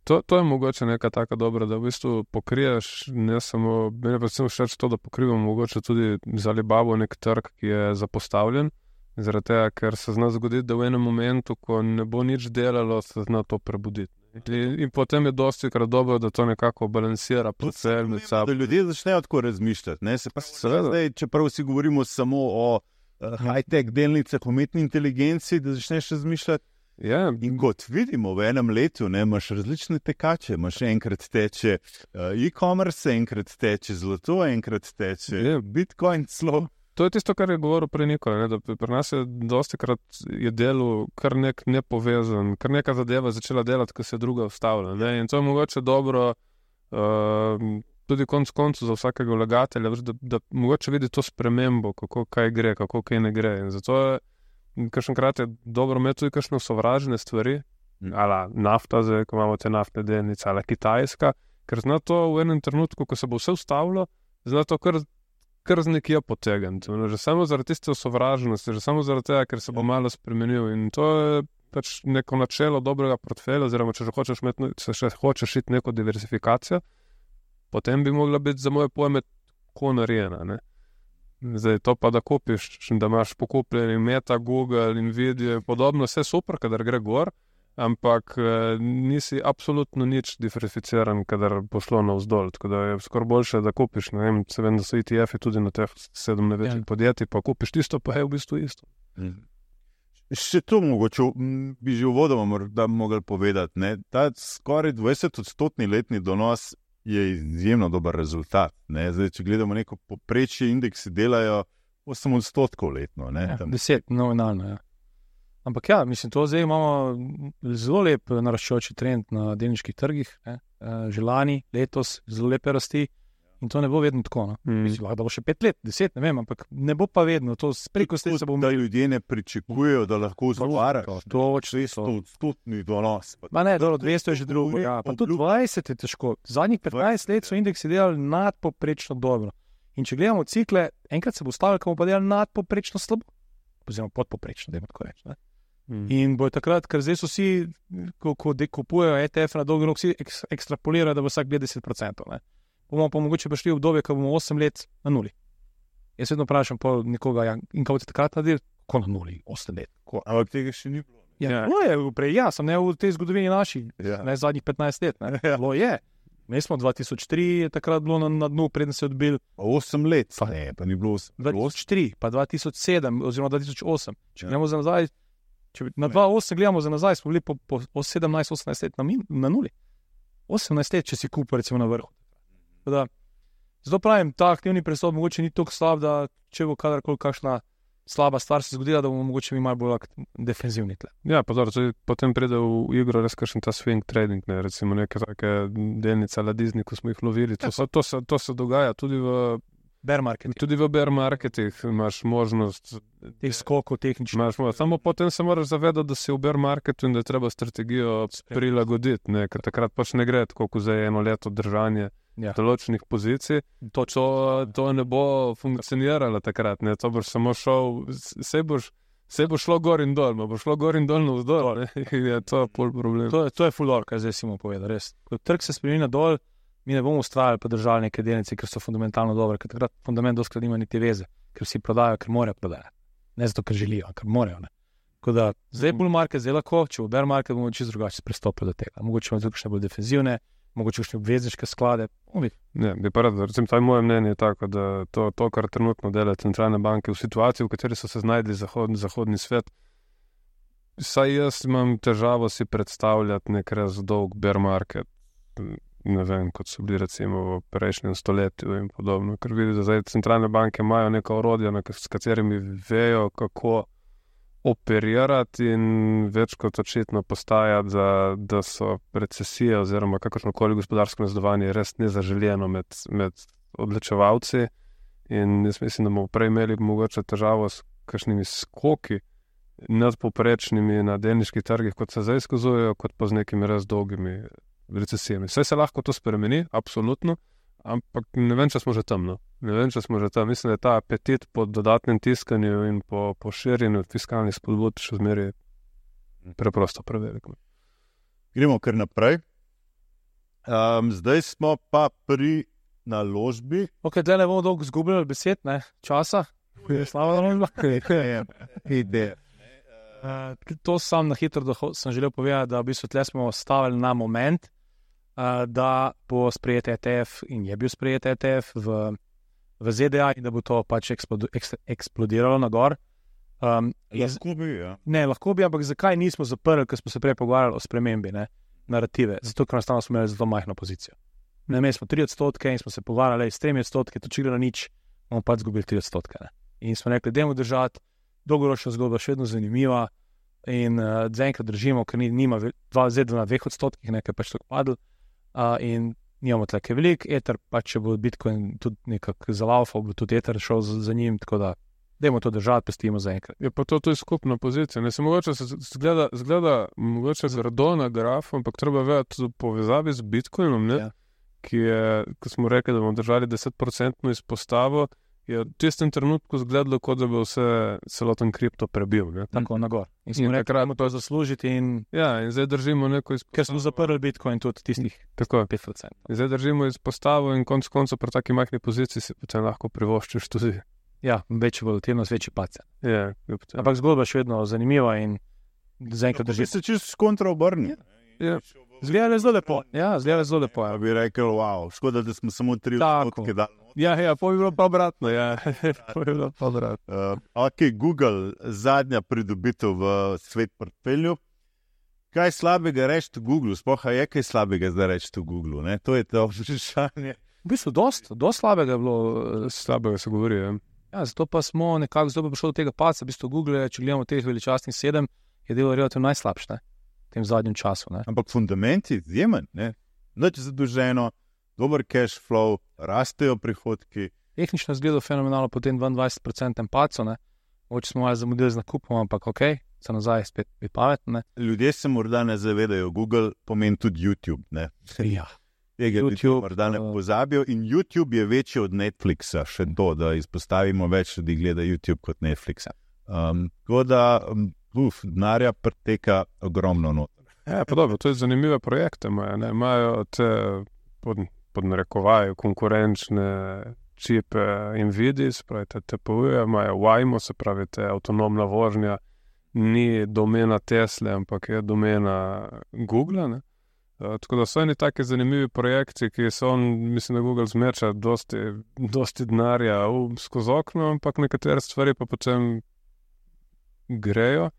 To, to je mogoče neka taka dobra, da v bistvu pokriješ ne samo, meni pa sem všeč to, da pokrivamo mogoče tudi za Alibabo nek trg, ki je zapostavljen, zaradi tega, ker se zna zgoditi, da v enem momentu, ko ne bo nič delalo, se zna to prebuditi. In, in potem je dosti krat dobro, da to nekako balansira portfelj med sabo. Da ljudje začnejo tako razmišljati. Ne? Se pa zdaj, čeprav vsi govorimo samo o uh, high-tech delnicah, umetni inteligenci, da začneš razmišljati. Yeah. In kot vidimo, v enem letu ne, imaš različne tekače. Imaš enkrat teče uh, e-commerce, enkrat teče zlato, enkrat teče yeah. Bitcoin celo. To je tisto, kar je govoril prej Nikola, da pri nas je dosti krat je delo kar nek nepovezan, kar neka zadeva začela delati, ko se druga ustavlja. Ne? In to je mogoče dobro uh, tudi konc koncu za vsakega vlagatelja, da, da mogoče vidi to spremembo, kako kaj gre, kako kaj ne gre. In zato je kakšenkrat je dobro imeti tudi kakšne sovražne stvari, mm. ala nafta, zdaj, ko imamo te naftne delnice, ala Kitajska, ker zna to v enem trenutku, ko se bo vse ustavilo, zna to kar kar z nekje potegniti. Že samo zaradi tiste sovražnosti, že samo zaradi tega, ker se bo malo spremenil. In to je pač neko načelo dobrega portfelja, oziroma če že hočeš imeti, če še hočeš iti neko diversifikacijo, potem bi mogla biti za moje pojme tako narejena. Ne? Zdaj to pa, da kupiš, da imaš pokupljeni Meta, Google, Nvidia in podobno, vse super, kadar gre gor, ampak eh, nisi absolutno nič diversificiran, kadar bo šlo navzdol. Tako da je skoraj boljše, da kupiš, ne vem, se vem, da so E T F-i tudi na teh sedem največjih ja. podjetij, pa kupiš tisto, pa je v bistvu isto. Mm. Še to mogoče bi že uvodoma morda mogli povedati, ne? Ta skoraj dvajset odstotni letni donos je izjemno dober rezultat. Ne? Zdaj, če gledamo neko poprečje, indeksi delajo osem odstotkov letno. Ne? Ja, deset, nominalno, ja. Ampak ja, mislim, to zdaj imamo zelo lep naraščajoči trend na delniških trgih, ne? Že lani, letos, zelo lepe rasti in to ne bo vedno tako. No? Mm. Mislim, da bo še pet let, deset, ne vem, ampak ne bo pa vedno. To preko ste se bo... Da ljudje ne pričakujejo, da lahko zvarajo. To je sto odstotni donos. Ma ne, dobro, dvesto je že drugo. Ja, pa tudi dvajset je težko. Zadnjih petnajst let so indeksi delali nadpoprečno dobro. In če gledamo cikle, enkrat se bo stavili, ko bomo pa delali nadpoprečno slabo. Oziroma podpoprečno, da ima tako reči. Ne? Hmm. In bojo takrat, ker zdaj so vsi, ko, ko kupujejo E T F na dolgi rok, vsi ek, ekstrapolirajo, da bo vsak gleda deset procentov. Ne? Bomo pa mogoče prišli v obdobje, ko bomo osem let na nuli. Jaz vedno vprašam pa nekoga, ja, in kako boste takrat naredili? Ko na nuli, osem let. Ko? Ampak tega še ni bilo. Ja, ja. No je, prej, ja, sem ne v tej zgodovini naši, ja. Ne zadnjih petnajst let. Ne? Ja. Lo je. Mi smo dva tisoč tri, je takrat bilo na, na dnu, preden se je odbil. osem let, pa ne, pa ni bilo osem. dva tisoč tri, pa dva tisoč sedem, oziroma dva tisoč osem. Če ja. Gremo za nazaj, če na dva tisoč osem gledamo za nazaj, smo bili po, po, po sedemnajst osemnajst let na, min, na nuli. osemnajst let, če si kupil recimo na vrhu. Da, zato pravim, ta aktivni prestop mogoče ni tako slab, da če bo kadarkoli kakšna slaba stvar se zgodila, da bomo mogoče mi malo bolj defenzivni tle. Ja, pa dobro, potem pride v igro res kakšen ta swing trading, ne, recimo neke take delnice ala Disney, ko smo jih lovili. To, to, se, to se dogaja tudi v bear marketih. Tudi v bear marketih imaš možnost teh skokov tehničnih. Samo potem se moraš zavedati, da si v bear marketu in da je treba strategijo prilagoditi, ne, ker takrat pač ne gre tako, kot zdaj eno leto držanje ja. Določenih pozicij. To, to, to ne bo funkcioniralo takrat, ne, to boš samo šel, se boš Se bo šlo gor in dol, bo šlo gor in dol na vzdolj, je to pol problem. To, to je fulor, kaj zdaj si mu povedal, res. Ko trg se spremeni nadol, mi ne bomo ustrajali pa držali neke delnice, ker so fundamentalno dobre, ker takrat fundament doskrat nima niti veze, ker vsi prodajo, ker morajo prodajati. Ne zato, ker želijo, ker morajo. Ne. Tako da zdaj bull market, zdaj lahko, če v bear market bomo čisto drugače pristopili do tega. Mogoče imamo tukaj še bolj defenzivne, mogoče kakšne obvezniške sklade. Ne, bi pa rad, recimo, to je moje mnenje tako, da to, to, kar trenutno delajo centralne banke v situaciji, v kateri so se znajdli zahodni, zahodni svet, saj jaz imam težavo si predstavljati nek res dolg bear market, ne vem, kot so bili recimo v prejšnjem stoletju in podobno, ker vidim, da zdaj centralne banke imajo neka orodja, s katerimi vejo, kako operirati in več kot očitno postaja, da, da so recesije oziroma kakršnokoli gospodarsko nazadovanje res nezaželjeno med, med odločevalci In jaz mislim, da bomo prej imeli mogoče težavo s kakšnimi skoki nadpoprečnimi na delniških trgih, kot se zdaj izkazujejo, kot pa z nekimi res dolgimi recesijami. Vse se lahko to spremeni, absolutno, ampak ne vem, če smo že tam. No. Ne vem, če smo že tam. Mislim, da je ta apetit po dodatnem tiskanju in po, po širjenju fiskalnih spodbud še zmeraj preprosto prevelik. Gremo kar naprej. Um, zdaj smo pa pri naložbi. Ok, tle ne bomo dolgo zgubljali besed, ne, časa. Slava naložba. Ideja. Uh, to sam na hitro doho- sem želel povedati, da v bistvu tle smo stavili na moment, uh, da bo sprejet E T F in je bil sprejet E T F v, v Z D A in da bo to pač eksplodu- eks- eksplodiralo na gor. Um, iz- Lahko bi, ja. Ne, lahko bi, ampak zakaj nismo zaprli, ker smo se prej pogovarjali o spremembi, ne, narative? Zato, ker enostavno smo imeli zelo majhno pozicijo. Ne, imeli smo tri odstotke in smo se pogovarjali s tremi odstotki, to če gre na nič, bomo pač zgubili tri odstotke. Ne. In smo rekli, dajmo držati, dolgoročna zgodba še vedno zanimiva in uh, zaenkrat držimo, ker ni, nima dva, zdaj na dveh odstotkih, nekaj pač tako padl uh, in nimamo tleke velik, Ether pač, če bo Bitcoin tudi nekako zalaufal, bo tudi Ether šel za, za njim, tako da dajmo to držati, pustimo zaenkrat. Je pa to tudi skupna pozicija. Ne se mogoče se zgleda, zgleda mogoče zrado na grafu, ampak treba vedeti v povezavi z Bitcoinom, ne? Ja. Ki je, ko smo rekli, da bomo držali deset procentno izpostavo, je v tistem trenutku zgledalo, kot da bi vse celoten kripto prebil. Ne? Tako na gor. In smo In rekli, takrat- da moramo to zaslužiti in Ja, in zdaj držimo neko izpostavo. ker smo zaprli Bitcoin tudi tistih Tako, pet procentov. in zdaj držimo izpostavo in konc koncev pri taki majhni poziciji si potem lahko privoščiš tudi. Ja, večja volatilnost, večji pace. Ja, je potem- Ampak zgodba je še vedno zanimiva in zaenkrat Lahko bi drži. se čisto skontra obrnil. Ja. Zgleda zelo lepo. Ja, zgleda zelo lepo. Pa Ja, bi rekel, wow, škoda, da smo samo tri Tako. odstotke dali. ja, ja po bi bilo pa obratno. Ja. Po bi bilo pa obratno. Uh, ok, Google, zadnja pridobitev v svet portfelju. Kaj slabega reči v Google? Sploh a je kaj slabega zdaj reči v Google? Ne? To je to vprašanje. v bistvu dost, dost slabega je bilo. eh, Slabega se govori. Ja. Ja, zato pa smo nekako zdaj pa prišli do tega paca. V bistvu Google, če gledamo teh veličastnih sedem, je delo relativno najslabše ne, v tem zadnjem času. Ne. Ampak fundament je izjemen. ne. Nič zadolženo, dober cash flow, rastejo prihodki. Tehnično zgleda fenomenalno po tem dvaindvajset procentnem pacu. ne. Mogoče smo malo zamudili z nakupom, ampak ok, se nazaj spet biti pametni. Ljudje se morda ne zavedajo, Google pomeni tudi YouTube. Ne? Ja. Tega YouTube, YouTube, morda ne uh, pozabijo. In YouTube je večji od Netflixa, še to, da izpostavimo več ljudi gleda YouTube kot Netflixa. Um, tako da, um, uf, denarja preteka ogromno noter. Ja, pa dobro, to je zanimive projekte imajo. ne. Imajo te pod, pod narekovaji konkurenčne čipe Nvidia, se pravi te T P U-je, imajo Waymo, se pravi te avtonomna vožnja, ni domena Tesle, ampak je domena Google. Ne? Uh, tako da so eni taki zanimivi projekti, ki so, on, mislim, da Google zmeča dosti, dosti denarja v- skozi okno, ampak nekatere stvari pa potem grejo.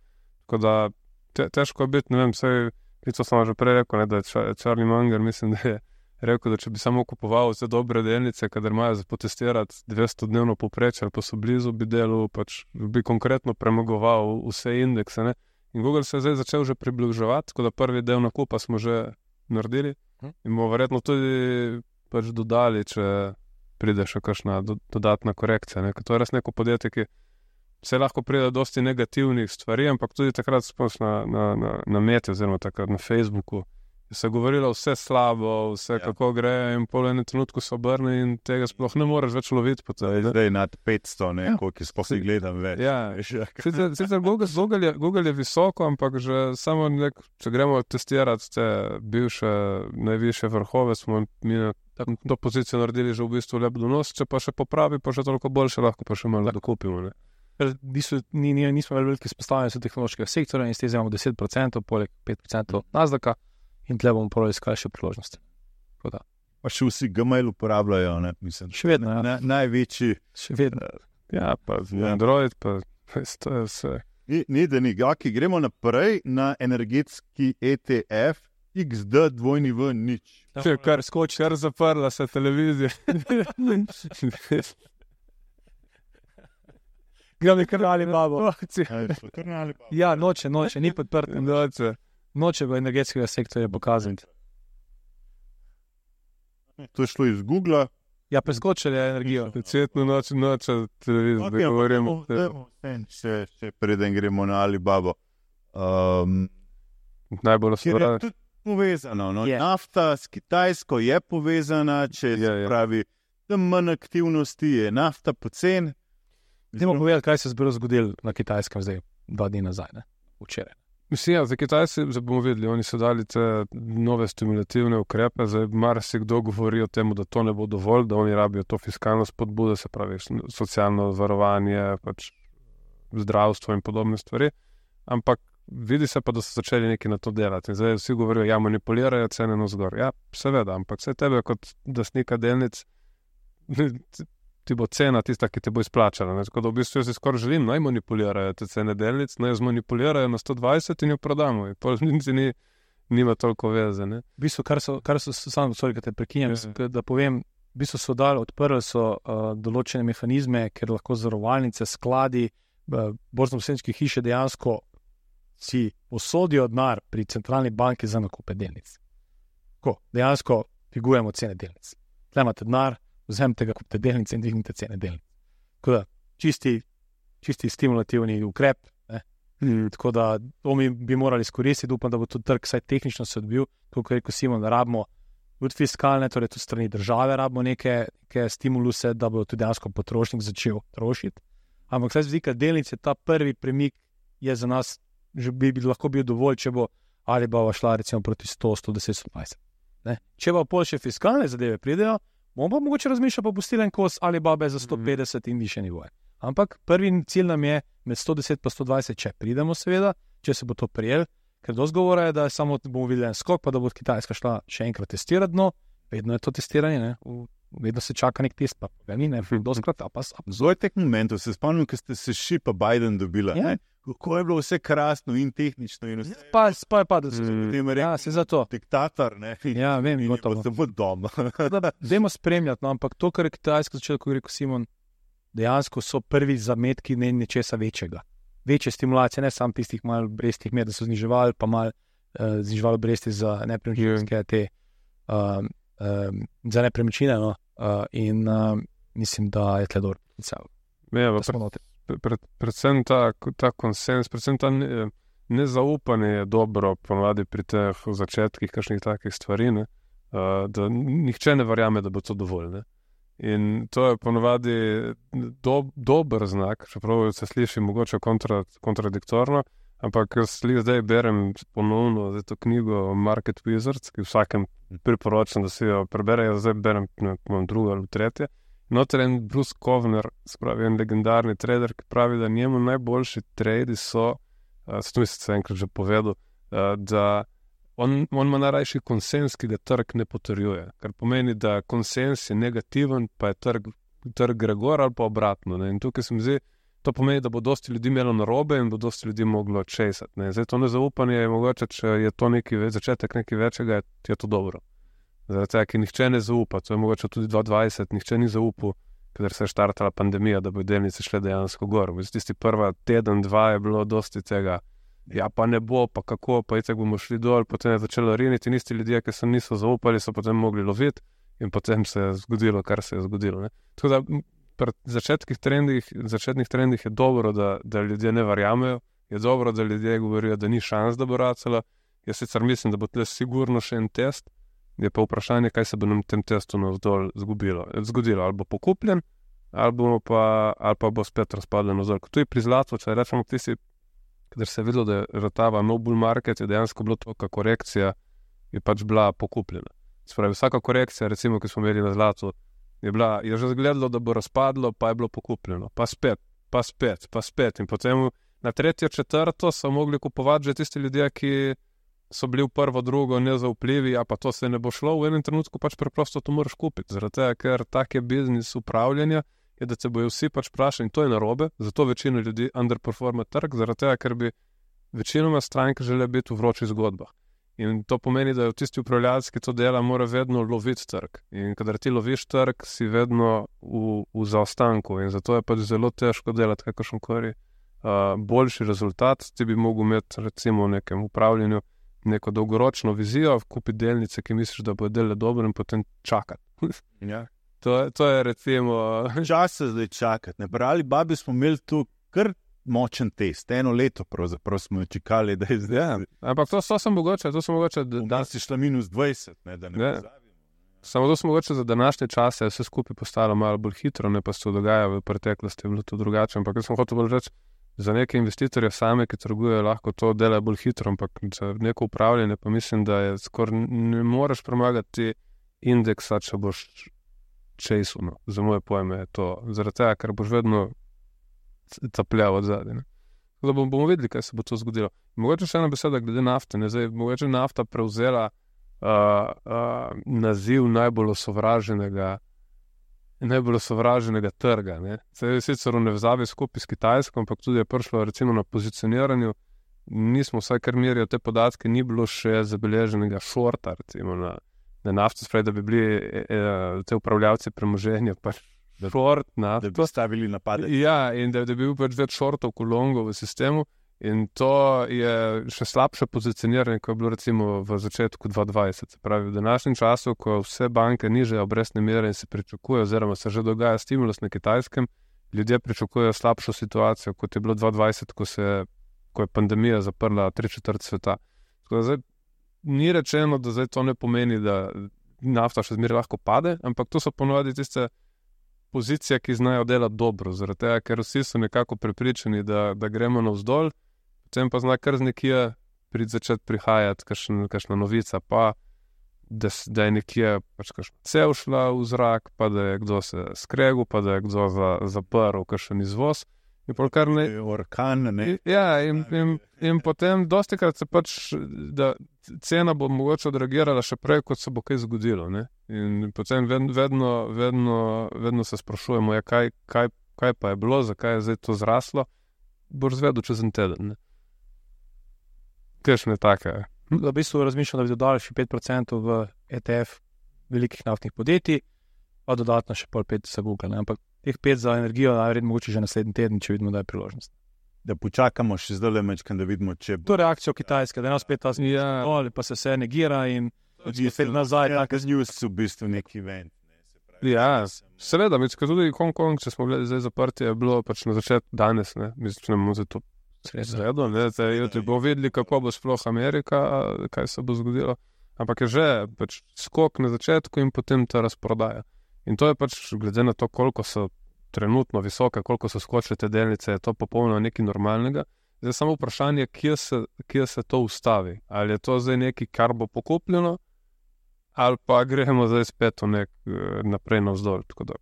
Tako da te, težko je biti, ne vem, vse, to sem že prej rekel, ne, da je Ča- Charlie Munger, mislim, da je rekel, da če bi samo kupoval vse dobre delnice, kadar imajo za potestirati dvesto dnevno povprečje ali pa so blizu, bi delal, pač bi konkretno premagoval vse indekse. Ne? In Google se je zdaj začel že približevati, tako da prvi del nakupa smo že naredili in bomo verjetno tudi pač dodali, če pride še kakšna do, dodatna korekcija. Ne? Ker to je res neko podjetje, ki se lahko pride dosti negativnih stvari, ampak tudi takrat sploh na, na, na, na meti oziroma takrat na Facebooku se je govorilo vse slabo, vse Ja. ja. kako gre in pol ene trenutku se obrne in tega sploh ne moreš več loviti. Zdaj, zdaj nad petsto, ne, Ja. koliko sploh si gledam več. Ja. Veš, ja. Sicer, sicer Google, Google, je, Google je visoko, ampak že samo nek, če gremo testirati te bivše najvišje vrhove, smo mi na to pozicijo naredili že v bistvu lep donos, če pa še popravi, pa še toliko boljše, lahko pa še malo dokupimo. Ne? Ker niso, ni, ni, nismo veliko veliki izpostavljeni so tehnološkega sektorja in s tem imamo deset procentov, poleg pet procentov Nasdaka in tle bomo prav iskali še priložnosti. Tako da, Pa še vsi Gmail uporabljajo, ne, mislim. Še vedno, ja. Na, največji. še vedno. Ja, pa Ja. Android, pa to je vse. Ni, ni da ni, gaki, gremo naprej na energetski E T F X D dvojni V nič. Če kar skoči, kar zaprla se televizija. Gremo nekaj ali babo. Ja, Ja, noče, noče, ni podprt. Noče. Noče v energetskega sektorja pokazati. to je šlo iz Google, Ja, preskočili energijo. Cvetno noč, noč, televizor, da govorimo. Še, še preden gremo na Alibabo. Um, Najbolj Ker je osvobodno. tudi povezano. No? Je. Nafta s Kitajsko je povezana, če Je, se je. pravi, da manj aktivnosti je nafta pocen. Dajmo povedati, kaj se je zgodilo na Kitajskem zdaj, dva dni nazaj, ne? Včeraj. Mislim, ja, za Kitajce zdaj bomo videli, oni so dali te nove stimulativne ukrepe, zdaj marsikdo govori o tem, da to ne bo dovolj, da oni rabijo to fiskalno spodbudo, se pravi socialno varovanje, pač zdravstvo in podobne stvari, ampak vidi se pa, da so začeli nekaj na to delati. In zdaj vsi govorijo, ja, manipulirajo cene navzgor. Ja, seveda, ampak vse tebe kot lastnika delnic ti bo cena tista, ki te bo izplačala. Ne? Tako da v bistvu jaz si skoraj želim, naj manipulirajo te cene delnic, naj jo zmanipulirajo na sto dvajset in jo prodamo. In pol niti ni, nima toliko veze. Ne? V bistvu, kar so, kar so samo, sorry, da te prekinjam, Ja. da povem, v bistvu so dali, odprli so uh, določene mehanizme, ker lahko zavarovalnice, skladi, uh, borzno-posredniške hiše dejansko si posodijo denar pri centralni banki za nakupe delnic. Ko dejansko figujemo cene delnic. Tle imate denar, vzemite ga, kupite delnice in dvignite cene delnic. Tako da čisti, čisti stimulativni ukrep. Ne? Mm. Tako da to mi bi morali izkoristiti, upam, da bo tudi trg vsaj tehnično se odbil, kot je rekel Simon, da rabimo tudi fiskalne, torej tudi strani države rabimo neke, neke stimuluse, da bo tudi dejansko potrošnik začel trošiti. Ampak vsaj z vidika delnice ta prvi premik je za nas že bi, bi lahko bil dovolj, če bo Alibaba šla recimo proti sto, sto deset, sto dvajset. Ne? Če pa pol še fiskalne zadeve pridejo, bomo pa mogoče razmišljati pa pustili en kos Alibabe za sto petdeset in više nivoje. Ampak prvi cilj nam je med sto deset pa sto dvajset, če pridemo seveda, če se bo to prijel, ker dosti govora je, da samo bomo videli en skok, pa da bo Kitajska šla še enkrat testirati dno, vedno je to testiranje, ne? Vedno se čaka nek test, pa ga ni, ne, doskrat, a pa sam. Zelo teh momentov se spomnim, ko ste se ši pa Biden dobila. Ja. Ne? Kako je bilo vse krasno in tehnično in vse. Pa, pa je padel, Mm. Potem je ja, rekel, se zato. diktator, ne? In, Ja, vem, in je gotovo. pa samo doma. Dajmo spremljati, no, ampak to, kar je Kitajska začela, kot je rekel Simon, dejansko so prvi zametki ne nečesa večjega. Večje stimulacije, ne samo tistih malo obrestnih mer, da so zniževali, pa malo uh, zniževali obresti za nepremičninske te, um, um, za nepremičnine, no, uh, in uh, mislim, da je tle dobro potencial. Ja, Da pa smo notri. pred, pred, predvsem ta, ta konsens, predvsem ta ne, nezaupanje je dobro ponovadi pri teh začetkih kakšnih takih stvari, ne, uh, da nihče ne verjame, da bo to dovolj. Ne. In to je ponovadi do, dober znak, čeprav se sliši mogoče kontra, kontradiktorno, ampak jaz slih zdaj berem ponovno zdaj to knjigo Market Wizards, ki vsakem priporočam, da si jo preberejo, zdaj berem ne, imam drugo ali tretje. Noter en Bruce Kovner, spravi en legendarni trader, ki pravi, da njemu najboljši tradi so, uh, s tem sem enkrat že povedal, uh, da on, on ima najrajši konsens, ki ga trg ne potrjuje. Kar pomeni, da konsens je negativen, pa je trg, trg gre gor ali pa obratno. Ne? In tukaj se mi zdi, to pomeni, da bo dosti ljudi imelo narobe in bo dosti ljudi moglo česati. Ne? Zdaj to nezaupanje je mogoče, če je to neki ve, začetek nekaj večjega, je to dobro. Zaradi tega, ker nihče ne zaupa, to je mogoče tudi dva tisoč dvajset, nihče ni zaupal, ker se je štartala pandemija, da bo delnice šle dejansko gor. V tisti prva teden, dva je bilo dosti tega, ja pa ne bo, pa kako, pa itak bomo šli dol, potem je začelo riniti in isti ljudje, ki so niso zaupali, so potem mogli loviti in potem se je zgodilo, kar se je zgodilo. Ne? Tako da pri začetnih trendih, začetnih trendih je dobro, da, da ljudje ne verjamejo, je dobro, da ljudje govorijo, da ni šans, da bo racala. Jaz sicer mislim, da bo tle sigurno še en test, je pa vprašanje, kaj se bo nam tem testu navzdol zgubilo. zgodilo. Ali bo pokupljen, ali, bomo pa, ali pa bo spet razpadlen navzdol. To je pri zlatu, če rečemo, tisti, ker se je videlo, da je ratava no bull market, je dejansko bilo toka korekcija, je pač bila pokupljena. Spravi, vsaka korekcija, recimo, ki smo imeli na zlatu, je, bila, je že zgledalo, da bo razpadlo, pa je bilo pokupljeno. Pa spet, pa spet, pa spet. In potem na tretjo, četrto so mogli kupovati že tisti ljudje, ki so bili v prvo, drugo nezaupljivi, a pa to se ne bo šlo, v enem trenutku pač preprosto to moraš kupiti. Zaradi tega, ker tak je biznis upravljanja, je, da se bojo vsi pač vprašali in to je narobe, zato večina ljudi underperforma trg, zaradi tega, ker bi večinoma stranke želeli biti v vročih zgodbah. In to pomeni, da je tisti upravljalec, ki to dela, mora vedno loviti trg. In kadar ti loviš trg, si vedno v, v zaostanku in zato je pač zelo težko delati kakršenkoli uh, boljši rezultat. Ti bi mogel imeti recimo v nekem upravljanju neko dolgoročno vizijo, kupiti delnice, ki misliš, da bo delale dobro in potem čakati. Ja. To, to je recimo... Čas se zdaj čakati. Ne? Pri Alibabi smo imeli tu kar močen test. Eno leto pravzaprav smo čakali, da je zdaj. Ja, ampak to, to sem mogoče, to sem mogoče, da, da si šla minus dvajset, ne, da ne Ja. pozabimo. samo to sem mogoče za današnje čase vse skupaj postalo malo bolj hitro, ne pa se to dogaja v preteklosti, je bilo to drugače, ampak jaz sem hotel bolj reči, za neke investitorje same, ki trgujejo, lahko to dela bolj hitro, ampak za neko upravljanje pa mislim, da je skoraj ne moreš premagati indeksa, če boš chasel, no. Za moje pojme je to, zaradi tega, ker boš vedno capljal od zadaj, ne. Tako da bomo, bomo videli, kaj se bo to zgodilo. Mogoče še ena beseda glede nafte, ne, zdaj, mogoče nafta prevzela uh, uh, naziv najbolj osovraženega najbolj osovraženega trga, ne. Se je sicer v nevzavi skupaj s Kitajsko, ampak tudi je prišlo recimo na pozicioniranju, nismo vsaj kar merijo te podatke, ni bilo še zabeleženega shorta, recimo na, na nafto, spravi, da bi bili e, e, te upravljavci premoženja, pač short nafto. Da bi stavili napade. Ja, in da, da bi bil pač več shortov kot longov v sistemu, in to je še slabše pozicioniranje, kot je bilo recimo v začetku dva tisoč dvajset. Se pravi, v današnjem času, ko vse banke nižajo obrestne mere in se pričakuje, oziroma se že dogaja stimulus na Kitajskem, ljudje pričakujejo slabšo situacijo, kot je bilo dva tisoč dvajset, ko, se, ko je pandemija zaprla tri četrt sveta. Tako da zdaj ni rečeno, da zdaj to ne pomeni, da nafta še zmeraj lahko pade, ampak to so ponovadi tiste pozicije, ki znajo delati dobro, zaradi tega, ker vsi so nekako prepričani, da, da gremo navzdol, potem pa zna kar z nekje prid začeti prihajati kakšna, kakšna novica, pa da, da je nekje pač kakšna cev šla v zrak, pa da je kdo se skregel, pa da je kdo za, zaprl kakšen izvoz. In pol kar ne... Orkan, ne? Ja, in, in, in potem dostikrat se pač, da cena bo mogoče odreagirala še prej, kot se bo kaj zgodilo, ne? In potem vedno, vedno, vedno, vedno se sprašujemo, ja, kaj, kaj, kaj pa je bilo, zakaj je zdaj to zraslo, boš zvedel čez en teden, ne? Kakšne take. V bistvu razmišljam, da bi dodali še pet procentov v E T F velikih naftnih podjetij, pa dodatno še pol pet za Google, ne? Ampak teh pet za energijo, najverjetneje mogoče že naslednji teden, če vidimo, da je priložnost. Da počakamo še zdaj mečkan, da vidimo, če bo. To reakcijo Kitajske, da je nas spet ta zmi, Ja. dol, pa se vse negira in je spet nazaj. Ja, Tak, z news v bistvu neki event. Ne, se pravi, Ja, nisem- seveda, mislim, tudi Hong Kong, če smo gledali zdaj zaprti, je bilo pač na začetku danes, ne, mislim, če ne bomo za to zvedel, ne, zdaj jutri bomo videli, kako bo sploh Amerika, kaj se bo zgodilo, ampak je že pač skok na začetku in potem ta razprodaja. In to je pač, glede na to, koliko so trenutno visoke, koliko so skočile te delnice, je to popolnoma nekaj normalnega. Zdaj samo vprašanje, kje se, kje se to ustavi. Ali je to zdaj nekaj, kar bo pokupljeno, ali pa gremo zdaj spet v nek naprej navzdol. Tako da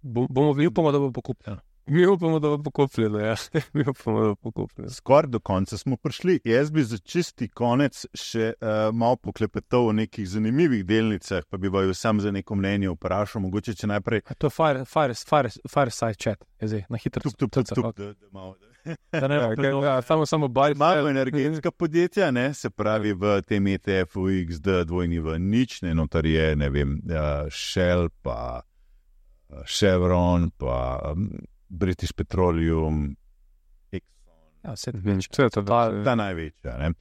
bom, bomo videli. upamo, da bo pokupljeno. Mi upamo, da bo pokupljeno, ja. Mi upamo, da bo pokupljeno. Skoraj do konca smo prišli. Jaz bi za čisti konec še uh, malo poklepetal o nekih zanimivih delnicah, pa bi vaju sam za neko mnenje vprašal. Mogoče, če najprej A to je fire, fire, fire, fireside chat, je zdaj, na hitro. tup, tup, tup, tup, da, da malo... Da ne, Ja, bo kaj, predolgo. ja, samo, samo baj. Malo energetska podjetja, ne, se pravi v tem E T F-u X D dvojni v nič, ne, notar je, ne vem, uh, Shell, pa uh, Chevron, pa um, British Petroleum, Exxon, Ja, vse Mhm, vse je to, da, ta največja. Ne.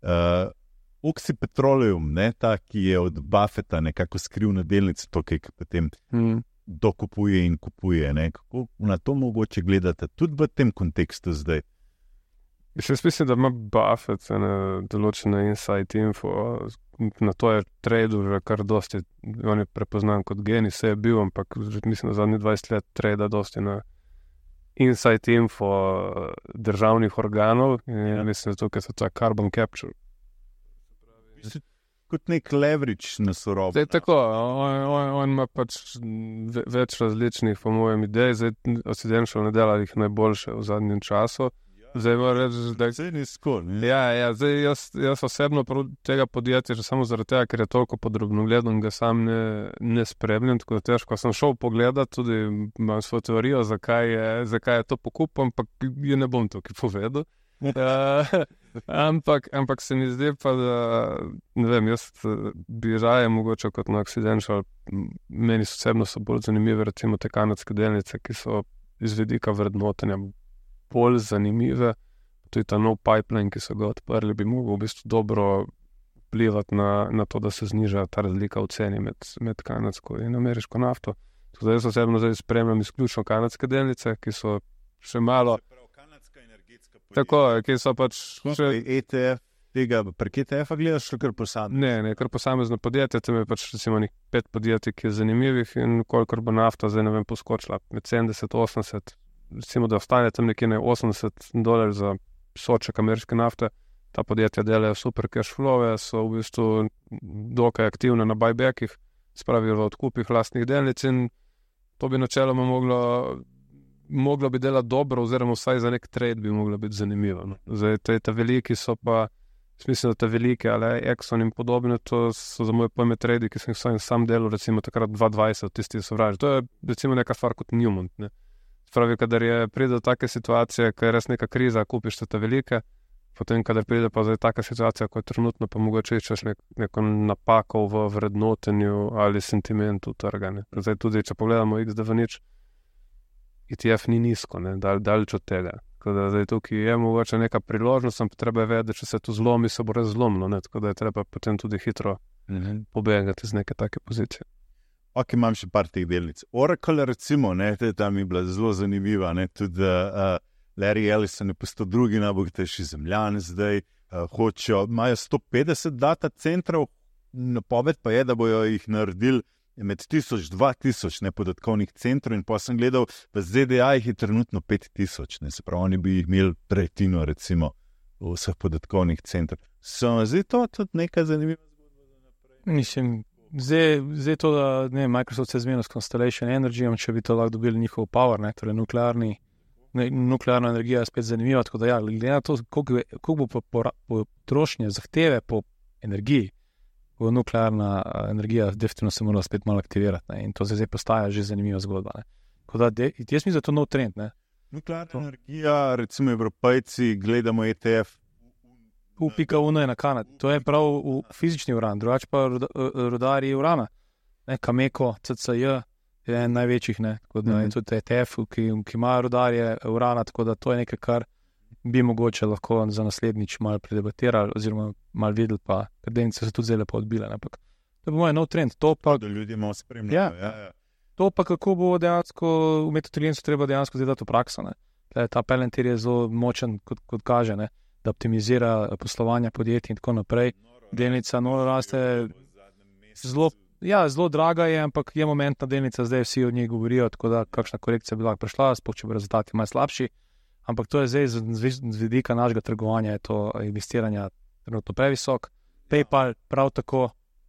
Uh, Oxy Petroleum, ne, ta, ki je od Buffetta nekako skrivna delnica, to, ki potem mm. dokupuje in kupuje. Ne. Kako na to mogoče gledate tudi v tem kontekstu zdaj? Še jaz mislim, da ima Buffett ene določene insight info, na to je tradu že kar dosti, on je prepoznan kot genij, se je bil, ampak že mislim, da zadnjih dvajset let trada dosti na insight info državnih organov in Ja. ja. mislim, da tukaj so ta carbon capture. Kot nek leverage na surovo. Zdaj tako, on, on, on ima pač ve, več različnih, po mojem, idej, zdaj Occidental ne dela jih najboljše v zadnjem času. Zdaj moram reči, da Vse ni skoro. Ja, ja, zdaj jaz, jaz osebno prav tega podjetja, že samo zaradi tega, ker je toliko podrobno gledam, ga sam ne, ne spremljam, tako da težko sem šel pogledat, tudi imam svojo teorijo, zakaj je, zakaj je to pokup, ampak je ne bom tukaj povedal. uh, ampak, ampak se mi zdi pa, da ne vem, jaz bi raje mogoče kot na Occidental, meni osebno so bolj zanimive recimo te kanadske delnice, ki so iz vidika vrednotenja bolj zanimive, tudi ta nov pipeline, ki so ga odprli, bi mogel v bistvu dobro vplivati na, na to, da se zniža ta razlika v ceni med, med kanadsko in ameriško nafto. Zdaj jaz osebno zdaj spremljam izključno kanadske delnice, ki so še malo. Kanadska energetska podjetja. Tako, ki so pač še. E T F, tega prek E T F-a gledaš, kar posamezno? Ne, ne, kar posamezno podjetje, tam je pač recimo nek pet podjetij, ki je zanimivih in kolikor bo nafta zdaj ne vem poskočila med sedemdeset, osemdeset, recimo da ostane tam nekje ne osemdeset dolarjev za soček ameriške nafte. Ta podjetja delajo super cash flow, so v bistvu dokaj aktivne na buybackih, spravijo v odkupih lastnih delnic in to bi načeloma moglo, moglo bi delati dobro, oziroma vsaj za nek trade bi moglo biti zanimivo. No. Zdaj, te, te veliki so pa, smisel, da te velike, ali Exxon in podobno, to so za moje pojme trade, ki sem jih sam, sam delal, recimo takrat dva dvajset, tisti so vraži. To je recimo neka stvar kot Newmont. Ne. Spravi, kadar je pride do take situacije, ko je res neka kriza, kupiš te velike, potem, kadar pride pa zdaj taka situacija, kot je trenutno, pa mogoče iščeš nek, neko napako v vrednotenju ali sentimentu trga. Ne. Zdaj tudi, če pogledamo X D V nič, E T F ni nizko, ne, dal, daleč od tega. Tako da zdaj tukaj je mogoče neka priložnost, ampak treba je vedeti, če se to zlomi, se bo res zlomilo, ne, tako da je treba potem tudi hitro mm-hmm. pobegati z neke take pozicije. Ok, imam še par teh delnic. Oracle, recimo, ne, tam je bila zelo zanimiva, ne, tudi uh, Larry Ellison je postal drugi najbogatejši zemljan zdaj, uh, hočejo, imajo sto petdeset data centrov, napoved pa je, da bojo jih naredili med tisoč, dva tisoč nepodatkovnih centrov in pa sem gledal, v Z D A jih je trenutno pet tisoč, ne, se pravi, oni bi jih imeli tretjino, recimo, vseh podatkovnih centrov. So zdaj to tudi neka zanimiva zgodba za naprej? Mislim, zdaj, zdaj to, da ne, Microsoft se zmenil s Constellation Energy, če bi to lahko dobili njihov power, ne, torej nuklearni nuklearna energija je spet zanimiva, tako da ja, glede na to, koliko bo potrošnje zahteve po energiji, bo nuklearna energija definitivno se mora spet malo aktivirati, ne, in to se zdaj postaja že zanimiva zgodba, ne. Tako da, de, jaz mislim, da je to nov trend, ne. Nuklearna to. Energija, recimo Evropejci, gledamo E T F. U pika uno je na Kanadi, to je prav v fizični uran, drugače pa rudarji urana, ne, Cameco, C C J, je en največjih, ne, tako da mm-hmm. je tudi E T F, ki, ki ima rudarje urana, tako da to je nekaj, kar bi mogoče lahko za naslednjič malo predebatirali, oziroma malo videli, pa ker delnice so tudi zelo lepo odbile, ampak to bo moj nov trend, to pa... Da ljudje malo spremljajo, ja. Ja, ja. To pa kako bo dejansko, v metotrilijencu treba dejansko zdaj dati v prakso, ne. Ta Palantir je zelo močen, kot, kot kaže, ne, da optimizira poslovanja podjetij in tako naprej. Delnica noro raste zelo... Ja, zelo draga je, ampak je momentna delnica, zdaj vsi od njej govorijo, tako da kakšna korekcija bi lahko prišla, sploh če bo rezultati malo slabši, ampak to je zdaj z, z vidika našega trgovanja, je to investiranja trenutno previsok. PayPal prav tako,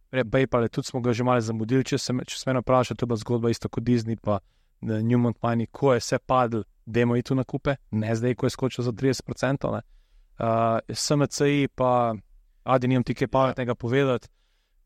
PayPal je tudi smo ga že malo zamudili, če se, če se mene vpraša, to je bila zgodba isto kot Disney, pa Newmont Mining, ko je vse padl, dajmo iti v nakupe, ne zdaj, ko je skočil za trideset procentov, ne. Uh, S M C I pa, adi nimam ti kaj pametnega povedati.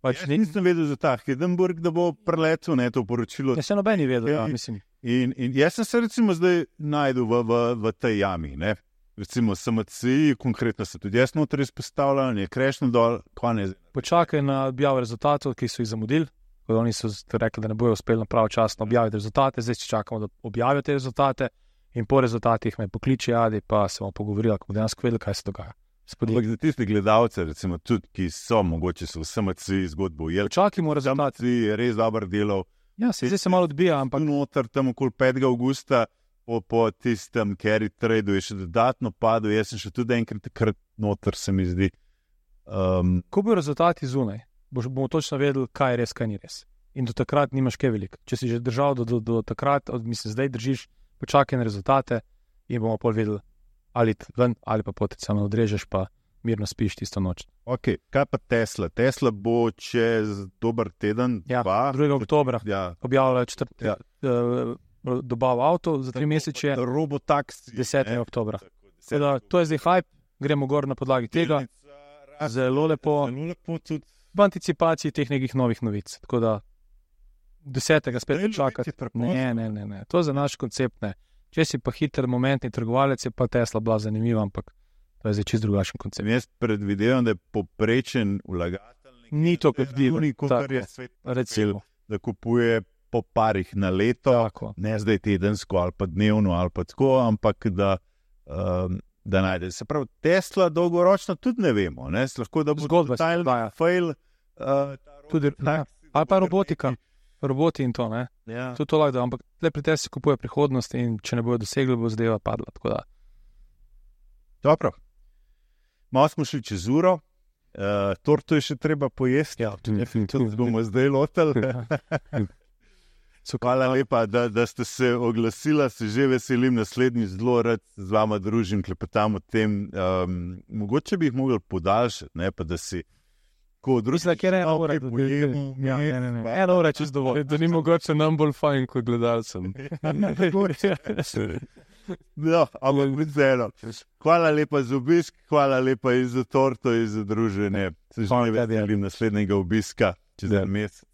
Pač jaz nisem vedel za ta Hindenburg, da bo preletel, ne, to poročilo. Jaz se noben ni vedel, ja, mislim. In, in jaz sem se recimo zdaj najdel v, v, v tej jami, ne. Recimo S M C I, konkretno se tudi jaz noter izpostavljal, je krešno dol, kva ne zdaj. Počakaj na objavo rezultatov, ki so jih zamudili, ko oni so rekli, da ne bojo uspeli na pravočasno objaviti rezultate, zdaj čakamo, da objavijo te rezultate in po rezultatih me pokliči Adi, pa se bomo pogovorili, ko bomo dejansko vedeli, kaj se dogaja. Ampak za tiste gledalce, recimo tudi, ki so mogoče so v S M C I zgodbo ujeli. Čakimo rezultat. S M C I je res dober delov. Ja, se zdaj se malo odbija, ampak... Noter tam okoli petega avgusta po, po tistem carry tradu je še dodatno padel, jaz sem še tudi enkrat takrat noter, se mi zdi. Um, Ko bojo rezultati zunaj, bomo točno vedeli, kaj je res, kaj ni res. In do takrat nimaš kaj veliko. Če si že držal do, do, do takrat, od, mislim, zdaj držiš, počakaj na rezultate in bomo pol vedeli, ali ven, ali pa potencialno odrežeš, pa mirno spiš tisto noč. Ok, kaj pa Tesla? Tesla bo čez dober teden, ja, dva. drugega oktobra, ja. objavlja četrti ja. uh, dobav avto za tri mesece. Robotaksi. desetega oktobra. Da, to je zdaj hype, gremo gor na podlagi tega. Zelo lepo. Zelo lepo tudi. V anticipaciji teh nekih novih novic. Tako da desetega spet čakati. Ne, ne, ne, ne. To je za naš koncept, ne. Če si pa hiter momentni trgovalec, je pa Tesla bila zanimiva, ampak to je zdaj čist drugačen koncept. Jaz predvidevam, da je poprečen vlagatelj ni to predvideno, kar je svet recimo, da kupuje po parih na leto, tako. Ne zdaj tedensko ali pa dnevno ali pa tako, ampak da, um, da najde. Se pravi, Tesla dolgoročno tudi ne vemo, ne? Lahko da bo zgodba totalni fail. Uh, tudi, ja. Ali pa robotika. roboti in to, ne. Ja. To je to lahko, ampak tle pri tebi se kupuje prihodnost in če ne bojo dosegli, bo zadeva padla. Tako da. Dobro. Malo smo šli čez uro, uh, torto je še treba pojesti. Ja, To bomo zdaj lotili. Hvala lepa, da, da ste se oglasila, se že veselim, naslednjič zelo rad z vama družim, klepetam o tem. Um, mogoče bi jih mogli podaljšati, ne, pa da si ko drugi... Mislim, da kjer ena ura, da pojemo, ja, ne, ne, ne. Ena ura je čez dovolj. Da ni mogoče nam bolj fajn kot gledalcem. No, ampak vseeno. Hvala lepa za obisk, hvala lepa in za torto in za druženje. Se že ne veselim naslednjega obiska čez en mesec.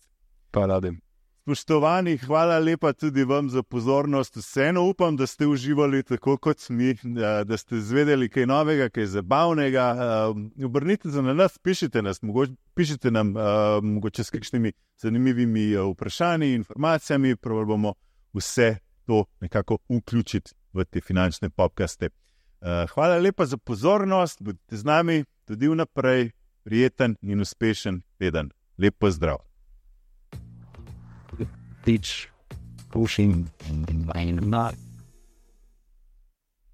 Pa radim. Spoštovani, hvala lepa tudi vam za pozornost. Vseeno upam, da ste uživali tako kot mi, da ste izvedeli kaj novega, kaj zabavnega. Obrnite se na nas, pišite nas, mogoče, pišite nam mogoče s kakšnimi zanimivimi vprašanji, informacijami, prav bomo vse to nekako vključiti v te finančne podcaste. Hvala lepa za pozornost, bodite z nami tudi vnaprej, prijeten in uspešen teden. Lep pozdrav. Teach pushing and not